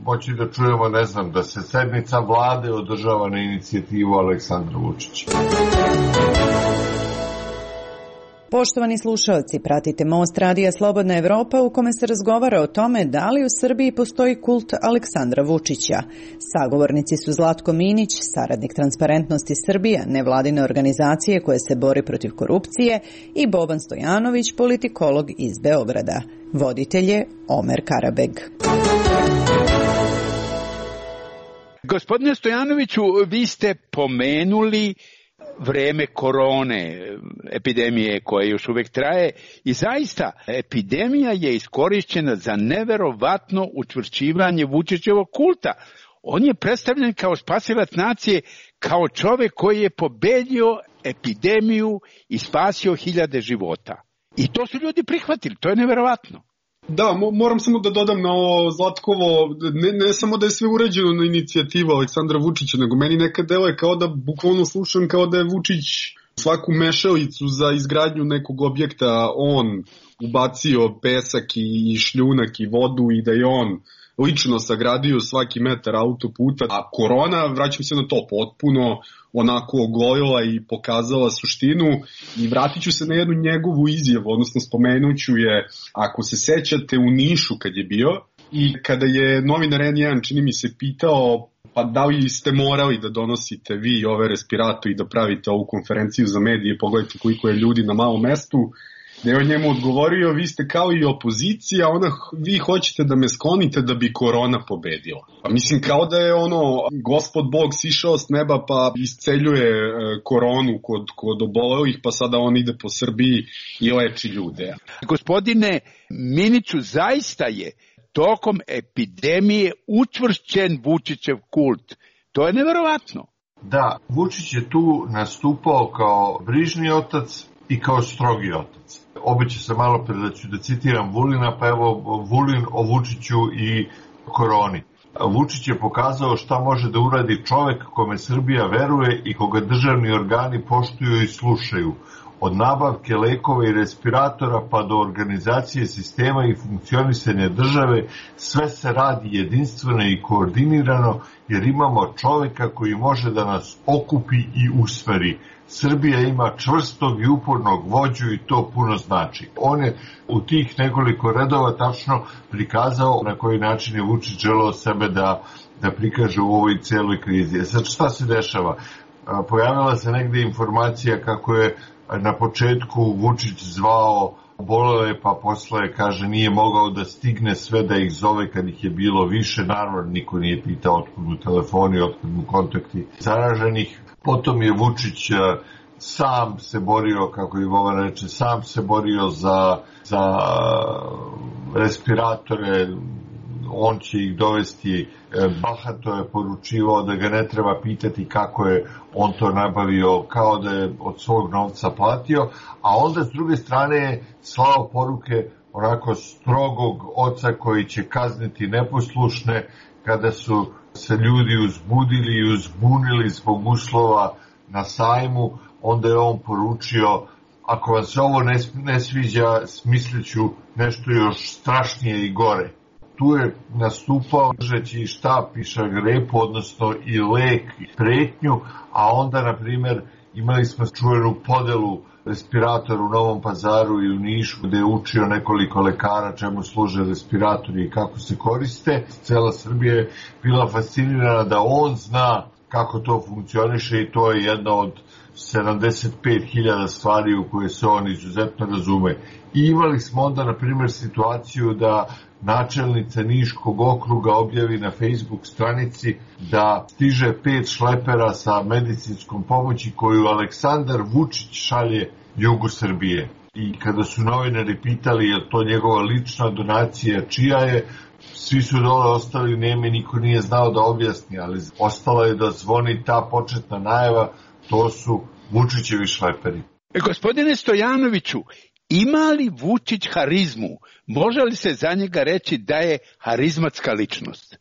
moći da čujemo, ne znam, da se sednica vlade održava na inicijativu Aleksandra Vučića. Poštovani slušalci, pratite Most radija Slobodna Evropa u kome se razgovara o tome da li u Srbiji postoji kult Aleksandra Vučića. Sagovornici su Zlatko Minić, saradnik Transparentnosti Srbija, nevladine organizacije koje se bori protiv korupcije, i Boban Stojanović, politikolog iz Beograda. Voditelj je Omer Karabeg. Gospodine Stojanoviću, vi ste pomenuli vreme korone, epidemije koja još uvek traje, i zaista epidemija je iskorišćena za neverovatno učvršćivanje Vučićevog kulta. On je predstavljen kao spasilac nacije, kao čovek koji je pobedio epidemiju i spasio hiljade života. I to su ljudi prihvatili, to je neverovatno. Da, moram samo da dodam na ovo Zlatkovo, ne samo da je sve uređeno na inicijativu Aleksandra Vučića, nego meni nekad deluje kao da bukvalno slušam kao da je Vučić svaku mešalicu za izgradnju nekog objekta on ubacio pesak i šljunak i vodu i da je on lično sagradio svaki metar autoputa, a korona, vraćam se na to, potpuno onako ogolila i pokazala suštinu. I vratit ću se na jednu njegovu izjavu, odnosno spomenuću je, ako se sećate, u Nišu kad je bio i kada je novinar N1, čini mi se, pitao pa da li ste morali da donosite vi ove respiratori i da pravite ovu konferenciju za medije, pogledajte koliko je ljudi na malom mestu, da je on njemu odgovorio, vi ste kao i opozicija, vi hoćete da me sklonite da bi korona pobedila. Pa mislim, kao da je Gospod Bog sišao s neba pa isceljuje koronu kod obolelih, pa sada on ide po Srbiji i leči ljude. Gospodine Miniću, zaista je tokom epidemije učvršćen Vučićev kult. To je neverovatno. Da, Vučić je tu nastupao kao brižni otac i kao strogi otac. Obećao sam malo pre da citiram Vulina, pa evo Vulin o Vučiću i koroni. Vučić je pokazao šta može da uradi čovek kome Srbija veruje i koga državni organi poštuju i slušaju. Od nabavke lekova i respiratora pa do organizacije sistema i funkcionisanja države, sve se radi jedinstveno i koordinirano jer imamo čoveka koji može da nas okupi i usmeri. Srbija ima čvrstog i upornog vođu i to puno znači. On je u tih nekoliko redova tačno prikazao na koji način je Vučić želeo sebe da prikaže u ovoj celoj krizi. Sad šta se dešava? Pojavila se negde informacija kako je na početku Vučić zvao obolele, pa posle kaže nije mogao da stigne sve da ih zove kad ih je bilo više. Naravno, niko nije pitao otkud mu telefoni, otkud mu kontakti zaraženih. Potom je Vučić sam se borio, kako i Boban reče, sam se borio za respiratore, on će ih dovesti, bahato je poručivao da ga ne treba pitati kako je on to nabavio, kao da je od svog novca platio, a onda s druge strane je slao poruke onako strogog oca koji će kazniti neposlušne kada su se ljudi uzbudili i uzbunili zbog uslova na sajmu. Onda je on poručio, ako vam se ovo ne sviđa, smisliću nešto još strašnije i gore. Tu je nastupao držeći štap i šargarepu, odnosno i lek i pretnju, a onda, na primjer, imali smo čuvenu podelu respiratora u Novom Pazaru i u Nišu, gde je učio nekoliko lekara čemu služe respiratori i kako se koriste. Cela Srbija je bila fascinirana da on zna kako to funkcioniše i to je jedna od 75.000 stvari u koje se on izuzetno razume. I imali smo onda, na primjer, situaciju da načelnica Niškog okruga objavi na Facebook stranici da stiže 5 šlepera sa medicinskom pomoći koju Aleksandar Vučić šalje jugu Srbije. I kada su novinari pitali je to njegova lična donacija, čija je, svi su dole ostali nemi, niko nije znao da objasni, ali ostala je da zvoni ta početna najava, to su Vučićevi šleperi. Gospodine Stojanoviću, ima li Vučić harizmu? Može li se za njega reći da je harizmatska ličnost?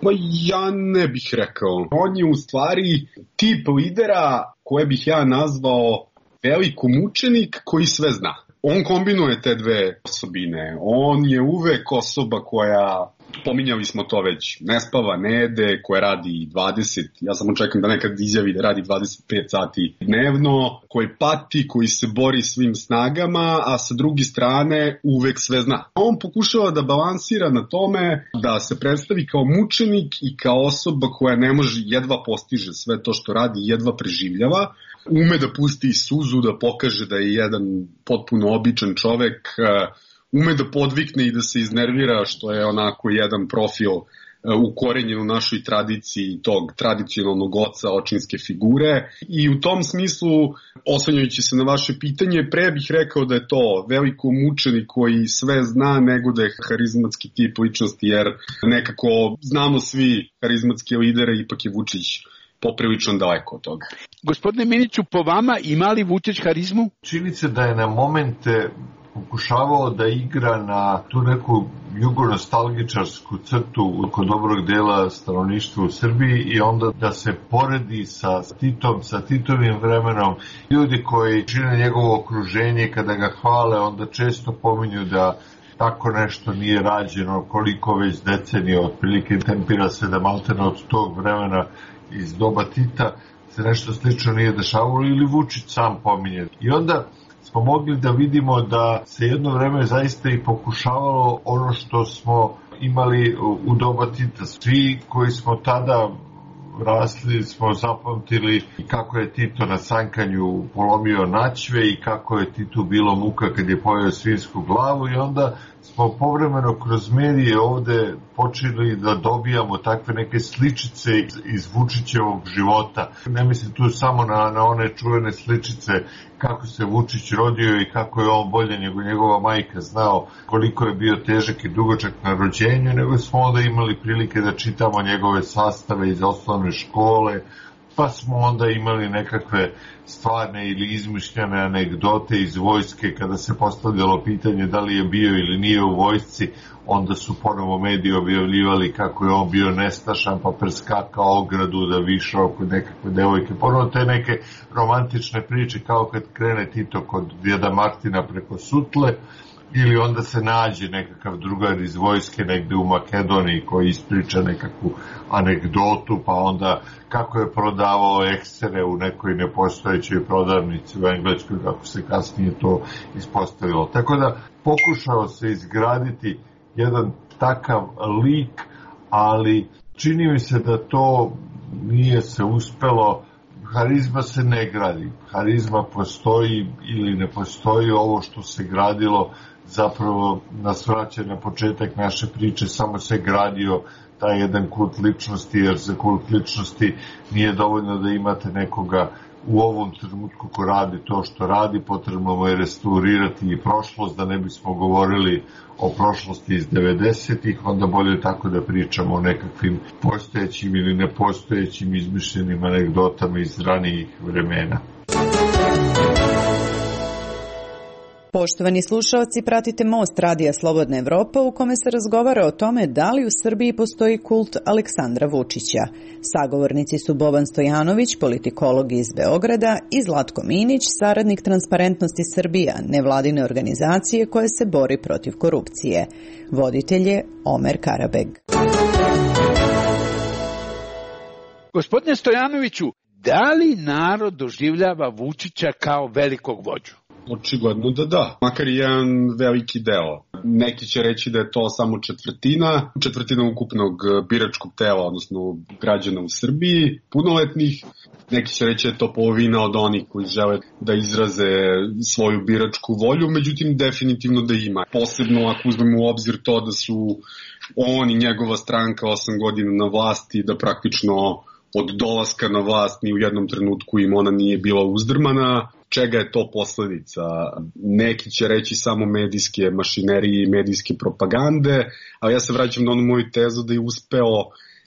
Ma ja ne bih rekao. On je u stvari tip lidera koje bih ja nazvao velikomučenik koji sve zna. On kombinuje te dve osobine. On je uvek osoba koja Pominjali smo to već, ne spava, ne jede, koja radi 20, ja samo čekam da nekad izjavi da radi 25 sati dnevno, koji pati, koji se bori svim snagama, a sa druge strane uvek sve zna. On pokušava da balansira na tome da se predstavi kao mučenik i kao osoba koja ne može, jedva postiže sve to što radi, jedva preživljava, ume da pusti suzu, da pokaže da je jedan potpuno običan čovek, ume da podvikne i da se iznervira, što je onako jedan profil ukorenjen u našoj tradiciji tog tradicionalnog oca očinske figure. I u tom smislu, oslanjajući se na vaše pitanje, pre bih rekao da je to veliko mučenik koji sve zna nego da je harizmatski tip ličnosti, jer nekako znamo svi harizmatske lidere, ipak je Vučić poprilično daleko od toga. Gospodine Miniću, po vama ima li Vučić harizmu? Čini se da je na momente pokušavao da igra na tu neku jugonostalgičarsku crtu kod dobrog dela stanovništva u Srbiji i onda da se poredi sa Titom, sa Titovim vremenom. Ljudi koji čine njegovo okruženje, kada ga hvale, onda često pominju da tako nešto nije rađeno, koliko već decenija, otprilike tempira se da maltene od tog vremena iz doba Tita se nešto slično nije dešavalo, ili Vučić sam pominje. I onda smo mogli da vidimo da se jedno vreme zaista i pokušavalo ono što smo imali u doba Tita. Svi koji smo tada rasli smo zapamtili kako je Tito na sankanju polomio načve i kako je Titu bilo muka kad je pojeo svinjsku glavu, i onda smo povremeno kroz medije ovde počeli da dobijamo takve neke sličice iz Vučićevog života. Ne mislim tu samo na one čuvene sličice kako se Vučić rodio i kako je on bolje nego njegova majka znao koliko je bio težak i dugočak na rođenju, nego smo onda imali prilike da čitamo njegove sastave iz osnovne škole, pa smo onda imali nekakve stvarne ili izmišljene anegdote iz vojske kada se postavljalo pitanje da li je bio ili nije u vojsci, onda su ponovo mediji objavljivali kako je on bio nestašan pa preskakao ogradu da višao kod nekakve devojke. Ponovo te neke romantične priče kao kad krene Tito kod djeda Martina preko Sutle, ili onda se nađe nekakav drugar iz vojske negde u Makedoniji koji ispriča nekakvu anegdotu, pa onda kako je prodavao eksere u nekoj nepostojećoj prodavnici u Engleskoj, kako se kasnije to ispostavilo. Tako da pokušao se izgraditi jedan takav lik, ali čini mi se da to nije se uspelo. Harizma se ne gradi. Harizma postoji ili ne postoji. Ovo što se gradilo zapravo nas vraća na početak naše priče, samo se gradio taj jedan kult ličnosti, jer za kult ličnosti nije dovoljno da imate nekoga u ovom trenutku ko radi to što radi, potrebno mu je restaurirati i prošlost, da ne bismo govorili o prošlosti iz 90-ih, onda bolje tako da pričamo o nekakvim postojećim ili nepostojećim izmišljenim anegdotama iz ranijih vremena. Poštovani slušalci, pratite Most radija Slobodna Evropa u kome se razgovara o tome da li u Srbiji postoji kult Aleksandra Vučića. Sagovornici su Boban Stojanović, politikolog iz Beograda, i Zlatko Minić, saradnik Transparentnosti Srbija, nevladine organizacije koja se bori protiv korupcije. Voditelj je Omer Karabeg. Gospodine Stojanoviću, da li narod doživljava Vučića kao velikog vođu? Očigledno da. Makar i jedan veliki deo. Neki će reći da je to samo četvrtina ukupnog biračkog tela, odnosno građana u Srbiji, punoletnih. Neki će reći da je to polovina od onih koji žele da izraze svoju biračku volju, međutim definitivno da ima. Posebno ako uzmemo u obzir to da su on i njegova stranka 8 godina na vlasti, da praktično od dolaska na vlast ni u jednom trenutku im ona nije bila uzdrmana. Čega je to posledica? Neki će reći samo medijske mašinerije i medijske propagande, ali ja se vraćam na onu moju tezu da je uspeo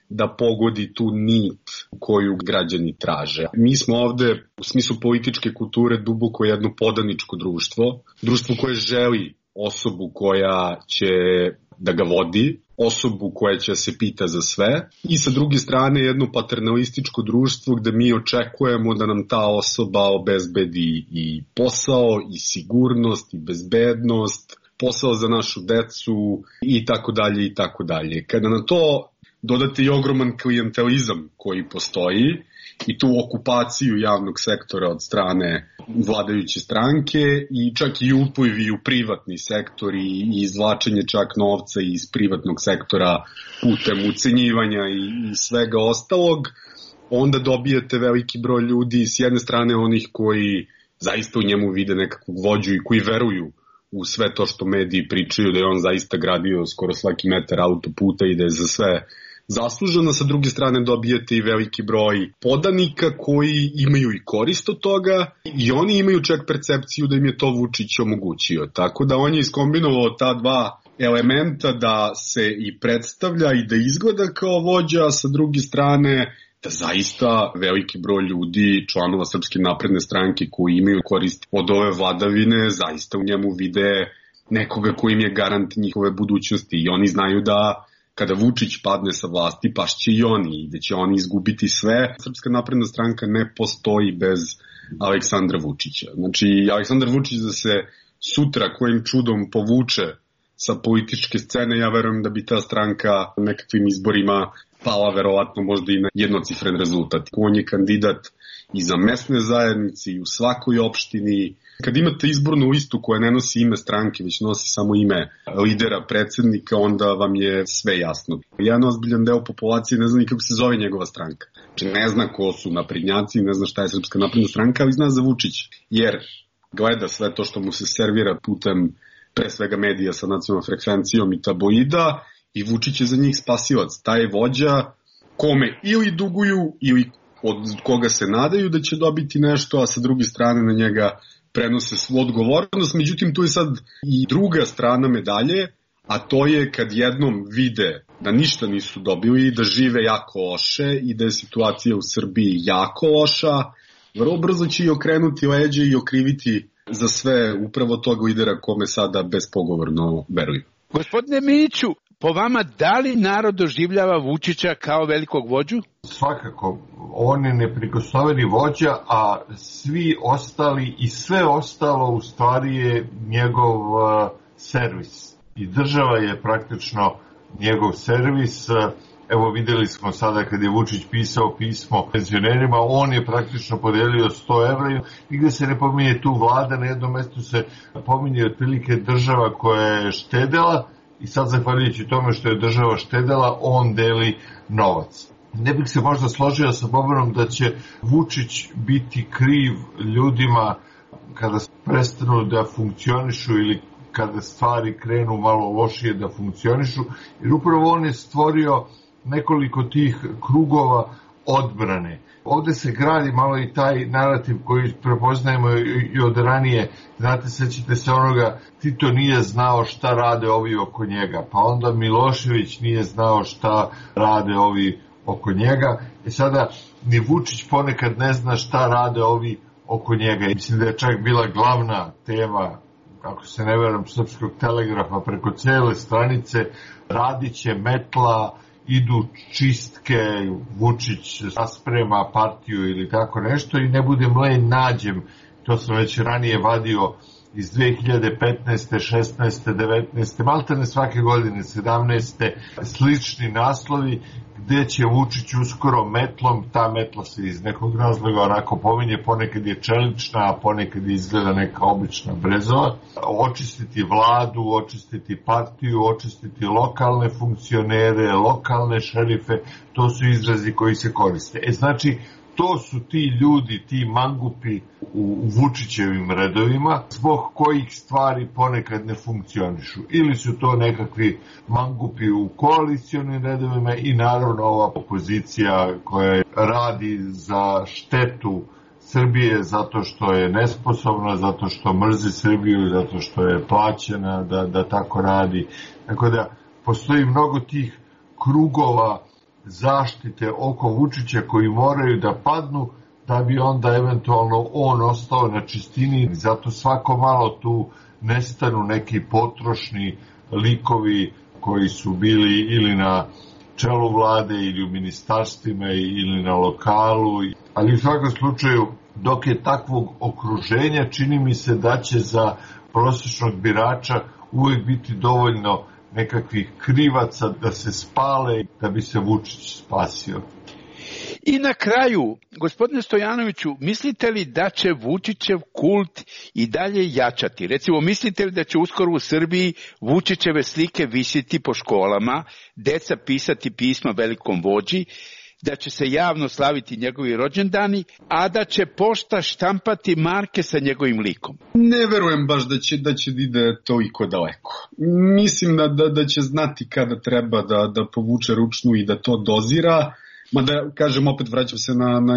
da pogodi tu nit koju građani traže. Mi smo ovde u smislu političke kulture duboko jedno podaničko društvo koje želi osobu koja će da ga vodi, osobu koja će se pita za sve, i sa druge strane jedno paternalističko društvo gde mi očekujemo da nam ta osoba obezbedi i posao, i sigurnost, i bezbednost, posao za našu decu i tako dalje i tako dalje. Kada na to dodate i ogroman klijentelizam koji postoji i tu okupaciju javnog sektora od strane vladajuće stranke i čak i uplivi u privatni sektor i izvlačenje čak novca iz privatnog sektora putem ucenjivanja i svega ostalog, onda dobijete veliki broj ljudi, s jedne strane onih koji zaista u njemu vide nekakvog vođu i koji veruju u sve to što mediji pričaju, da je on zaista gradio skoro svaki metar autoputa i da je za sve zasluženo. Sa druge strane dobijete i veliki broj podanika koji imaju i korist od toga i oni imaju čak percepciju da im je to Vučić omogućio. Tako da on je iskombinovao ta dva elementa da se i predstavlja i da izgleda kao vođa, a sa druge strane da zaista veliki broj ljudi, članova Srpske napredne stranke koji imaju korist od ove vladavine, zaista u njemu vide nekoga koji im je garant njihove budućnosti i oni znaju da kada Vučić padne sa vlasti, pašće i oni i da će oni izgubiti sve. Srpska napredna stranka ne postoji bez Aleksandra Vučića. Znači, Aleksandar Vučić da se sutra kojim čudom povuče sa političke scene, ja verujem da bi ta stranka nekakvim izborima pala verovatno možda i na jednocifren rezultat. On je kandidat i za mesne zajednice i u svakoj opštini. Kad imate izbornu listu koja ne nosi ime stranke, već nosi samo ime lidera, predsednika, onda vam je sve jasno. Jedan ozbiljan deo populacije ne zna ni kako se zove njegova stranka. Znači ne zna ko su naprednjaci, ne zna šta je Srpska napredna stranka, ali zna za Vučić. Jer gleda sve to što mu se servira putem pre svega medija sa nacionalnom frekvencijom i tabloida i Vučić je za njih spasilac. Taj je vođa kome ili duguju ili od koga se nadaju da će dobiti nešto, a sa druge strane na njega prenose svu odgovornost. Međutim, tu je sad i druga strana medalje, a to je kad jednom vide da ništa nisu dobili, da žive jako loše i da je situacija u Srbiji jako loša, vrlo brzo će i okrenuti leđe i okriviti za sve upravo tog lidera kome sada bespogovorno veruju. Gospodine Miniću, po vama, da li narod doživljava Vučića kao velikog vođu? Svakako, on je neprikosnoveni vođa, a svi ostali i sve ostalo u stvari je njegov servis. I država je praktično njegov servis. Evo videli smo sada kad je Vučić pisao pismo penzionerima, on je praktično podelio 100 evra i gde se ne pominje tu vlada, na jednom mestu se pominje otprilike država koja je štedela i sad zahvaljujući tome što je država štedela, on deli novac. Ne bih se možda složio sa Bobanom da će Vučić biti kriv ljudima kada prestanu da funkcionišu ili kada stvari krenu malo lošije da funkcionišu, jer upravo on je stvorio nekoliko tih krugova odbrane. Ovde se gradi malo i taj narativ koji prepoznajemo i od ranije. Znate, sećate se onoga, Tito nije znao šta rade ovi oko njega, pa onda Milošević nije znao šta rade ovi oko njega. I sada ni Vučić ponekad ne zna šta rade ovi oko njega. I mislim da je čak bila glavna tema, ako se ne veram, Srpskog telegrafa preko cele stranice, radiće metla, idu čistke, Vučić rasprema partiju ili tako nešto i ne budem lenj nađem, to sam već ranije vadio iz 2015. 16. 19. maltene svake godine 17. slični naslovi gde će Vučić uskoro metlom, ta metla se iz nekog razloga onako pominje, ponekad je čelična, a ponekad izgleda neka obična brezova, očistiti vladu, očistiti partiju, očistiti lokalne funkcionere, lokalne šerife, to su izrazi koji se koriste. Znači, to su ti ljudi, ti mangupi u Vučićevim redovima, zbog kojih stvari ponekad ne funkcionišu. Ili su to nekakvi mangupi u koalicionim redovima i naravno ova opozicija koja radi za štetu Srbije zato što je nesposobna, zato što mrzi Srbiju, zato što je plaćena da tako radi. Tako da postoji mnogo tih krugova zaštite oko Vučića koji moraju da padnu da bi onda eventualno on ostao na čistini. Zato svako malo tu nestanu neki potrošni likovi koji su bili ili na čelu vlade ili u ministarstvima ili na lokalu. Ali u svakom slučaju, dok je takvog okruženja, čini mi se da će za prosječnog birača uvijek biti dovoljno nekakvih krivaca da se spale da bi se Vučić spasio. I na kraju, gospodine Stojanoviću, mislite li da će Vučićev kult i dalje jačati? Recimo, mislite li da će uskoro u Srbiji Vučićeve slike visiti po školama, deca pisati pisma velikom vođi, da će se javno slaviti njegovi rođendani, a da će pošta štampati marke sa njegovim likom? Ne verujem baš da će ide toliko daleko. Mislim da će znati kada treba da povuče ručnu i da to dozira. Mada, kažem, opet vraćam se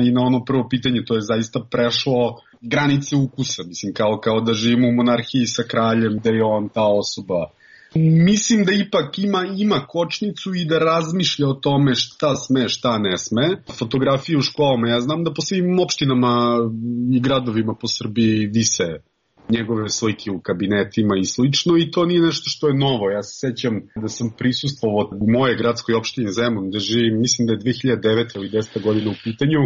i na ono prvo pitanje, to je zaista prešlo granice ukusa, mislim, kao da živimo u monarhiji sa kraljem, da je on ta osoba. Mislim da ipak ima kočnicu i da razmišlja o tome šta sme, šta ne sme. Fotografije u školama, ja znam da po svim opštinama i gradovima po Srbiji vise njegove slike u kabinetima i slično, i to nije nešto što je novo. Ja se sećam da sam prisustvovao u moje gradskoj opštini Zemun, gde živim, mislim da je 2009. ili 10. godina u pitanju,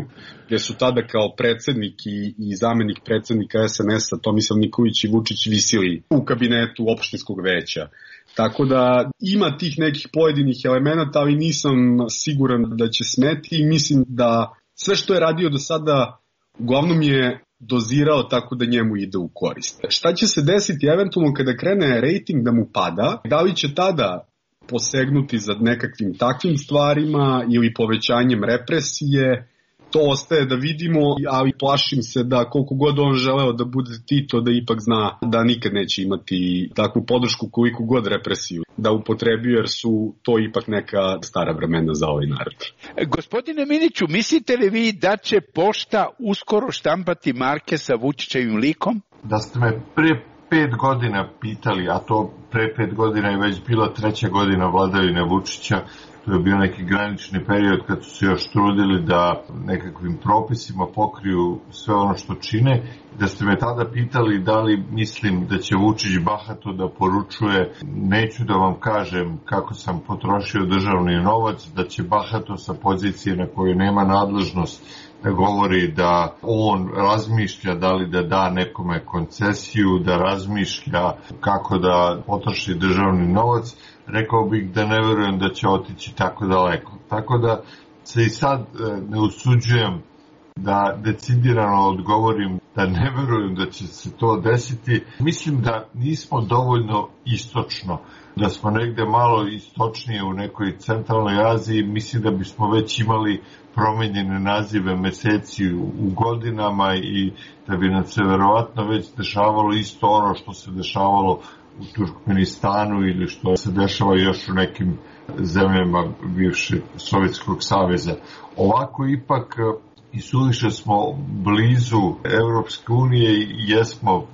gde su tada kao predsednik i zamenik predsednika SNS-a Tomislav Nikolić i Vučić visili u kabinetu opštinskog veća. Tako da ima tih nekih pojedinih elemenata, ali nisam siguran da će smeti, i mislim da sve što je radio do sada uglavnom je dozirao tako da njemu ide u korist. Šta će se desiti eventualno kada krene rejting da mu pada? Da li će tada posegnuti za nekakvim takvim stvarima ili povećanjem represije? To ostaje da vidimo, ali plašim se da koliko god on želeo da bude Tito, da ipak zna da nikad neće imati takvu podršku koliko god represiju da upotrebio, jer su to ipak neka stara vremena za ovaj narod. Gospodine Miniću, mislite li vi da će pošta uskoro štampati marke sa Vučićevim likom? Da ste me prije 5 godina pitali, a to pre 5 godina je već bila 3. godina vladavine Vučića, to je bio neki granični period kad su se još trudili da nekakvim propisima pokriju sve ono što čine. Da ste me tada pitali da li mislim da će Vučić bahato da poručuje, neću da vam kažem kako sam potrošio državni novac, da će bahato sa pozicije na kojoj nema nadležnost da govori da on razmišlja da li da da nekome koncesiju, da razmišlja kako da potroši državni novac. Rekao bih da ne verujem da će otići tako daleko. Tako da se i sad ne usuđujem da decidirano odgovorim da ne verujem da će se to desiti. Mislim da nismo dovoljno istočno, da smo negde malo istočnije u nekoj centralnoj Aziji. Mislim da bismo već imali promenjene nazive meseci u godinama i da bi nam se verovatno već dešavalo isto ono što se dešavalo u Turkmenistanu ili što se dešava još u nekim zemljama bivšeg Sovjetskog saveza. Ovako ipak i suviše smo blizu Evropske unije i jesmo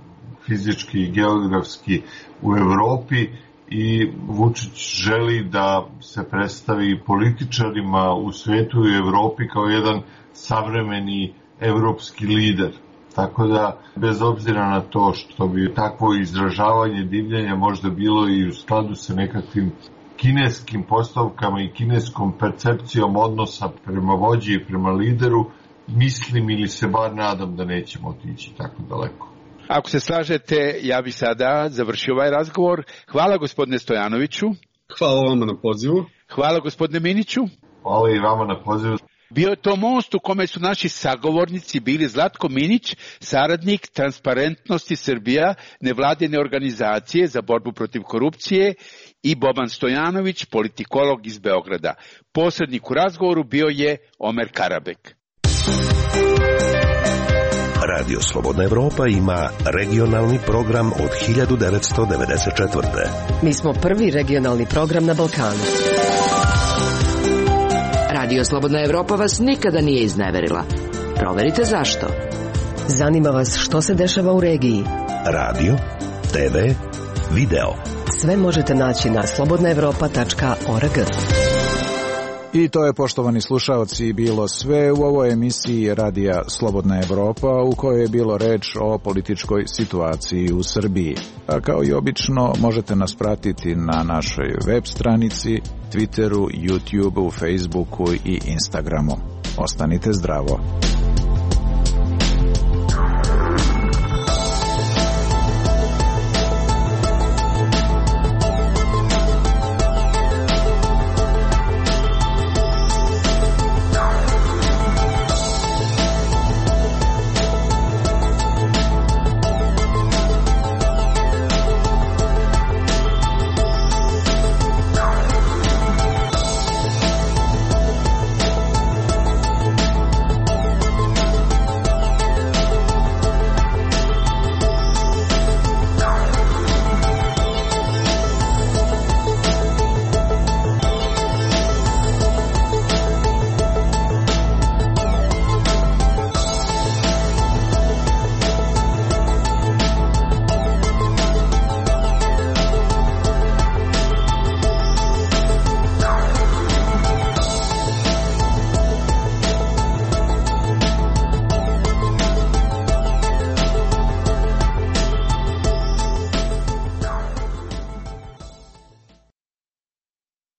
fizički i geografski u Evropi i Vučić želi da se predstavi političarima u svetu i Evropi kao jedan savremeni evropski lider. Tako da, bez obzira na to što bi takvo izražavanje divljenja možda bilo i u skladu sa nekakvim kineskim postavkama i kineskom percepcijom odnosa prema vođi i prema lideru, mislim ili se bar nadam da nećemo otići tako daleko. Ako se slažete, ja bih sada završio ovaj razgovor. Hvala gospodine Stojanoviću. Hvala vama na pozivu. Hvala gospodine Miniću. Hvala i vama na pozivu. Bio je to most u kome su naši sagovornici bili Zlatko Minić, saradnik Transparentnosti Srbija, nevladine organizacije za borbu protiv korupcije, i Boban Stojanović, politikolog iz Beograda. Posrednik u razgovoru bio je Omer Karabek. Radio Slobodna Evropa ima regionalni program od 1994. Mi smo prvi regionalni program na Balkanu. Radio Slobodna Evropa vas nikada nije izneverila. Proverite zašto. Zanima vas što se dešava u regiji. Radio, TV, video. Sve možete naći na slobodnaevropa.org. I to je, poštovani slušaoci, bilo sve u ovoj emisiji Radija Slobodna Evropa, u kojoj je bilo reč o političkoj situaciji u Srbiji. A kao i obično, možete nas pratiti na našoj web stranici, Twitteru, YouTubeu, Facebooku i Instagramu. Ostanite zdravo.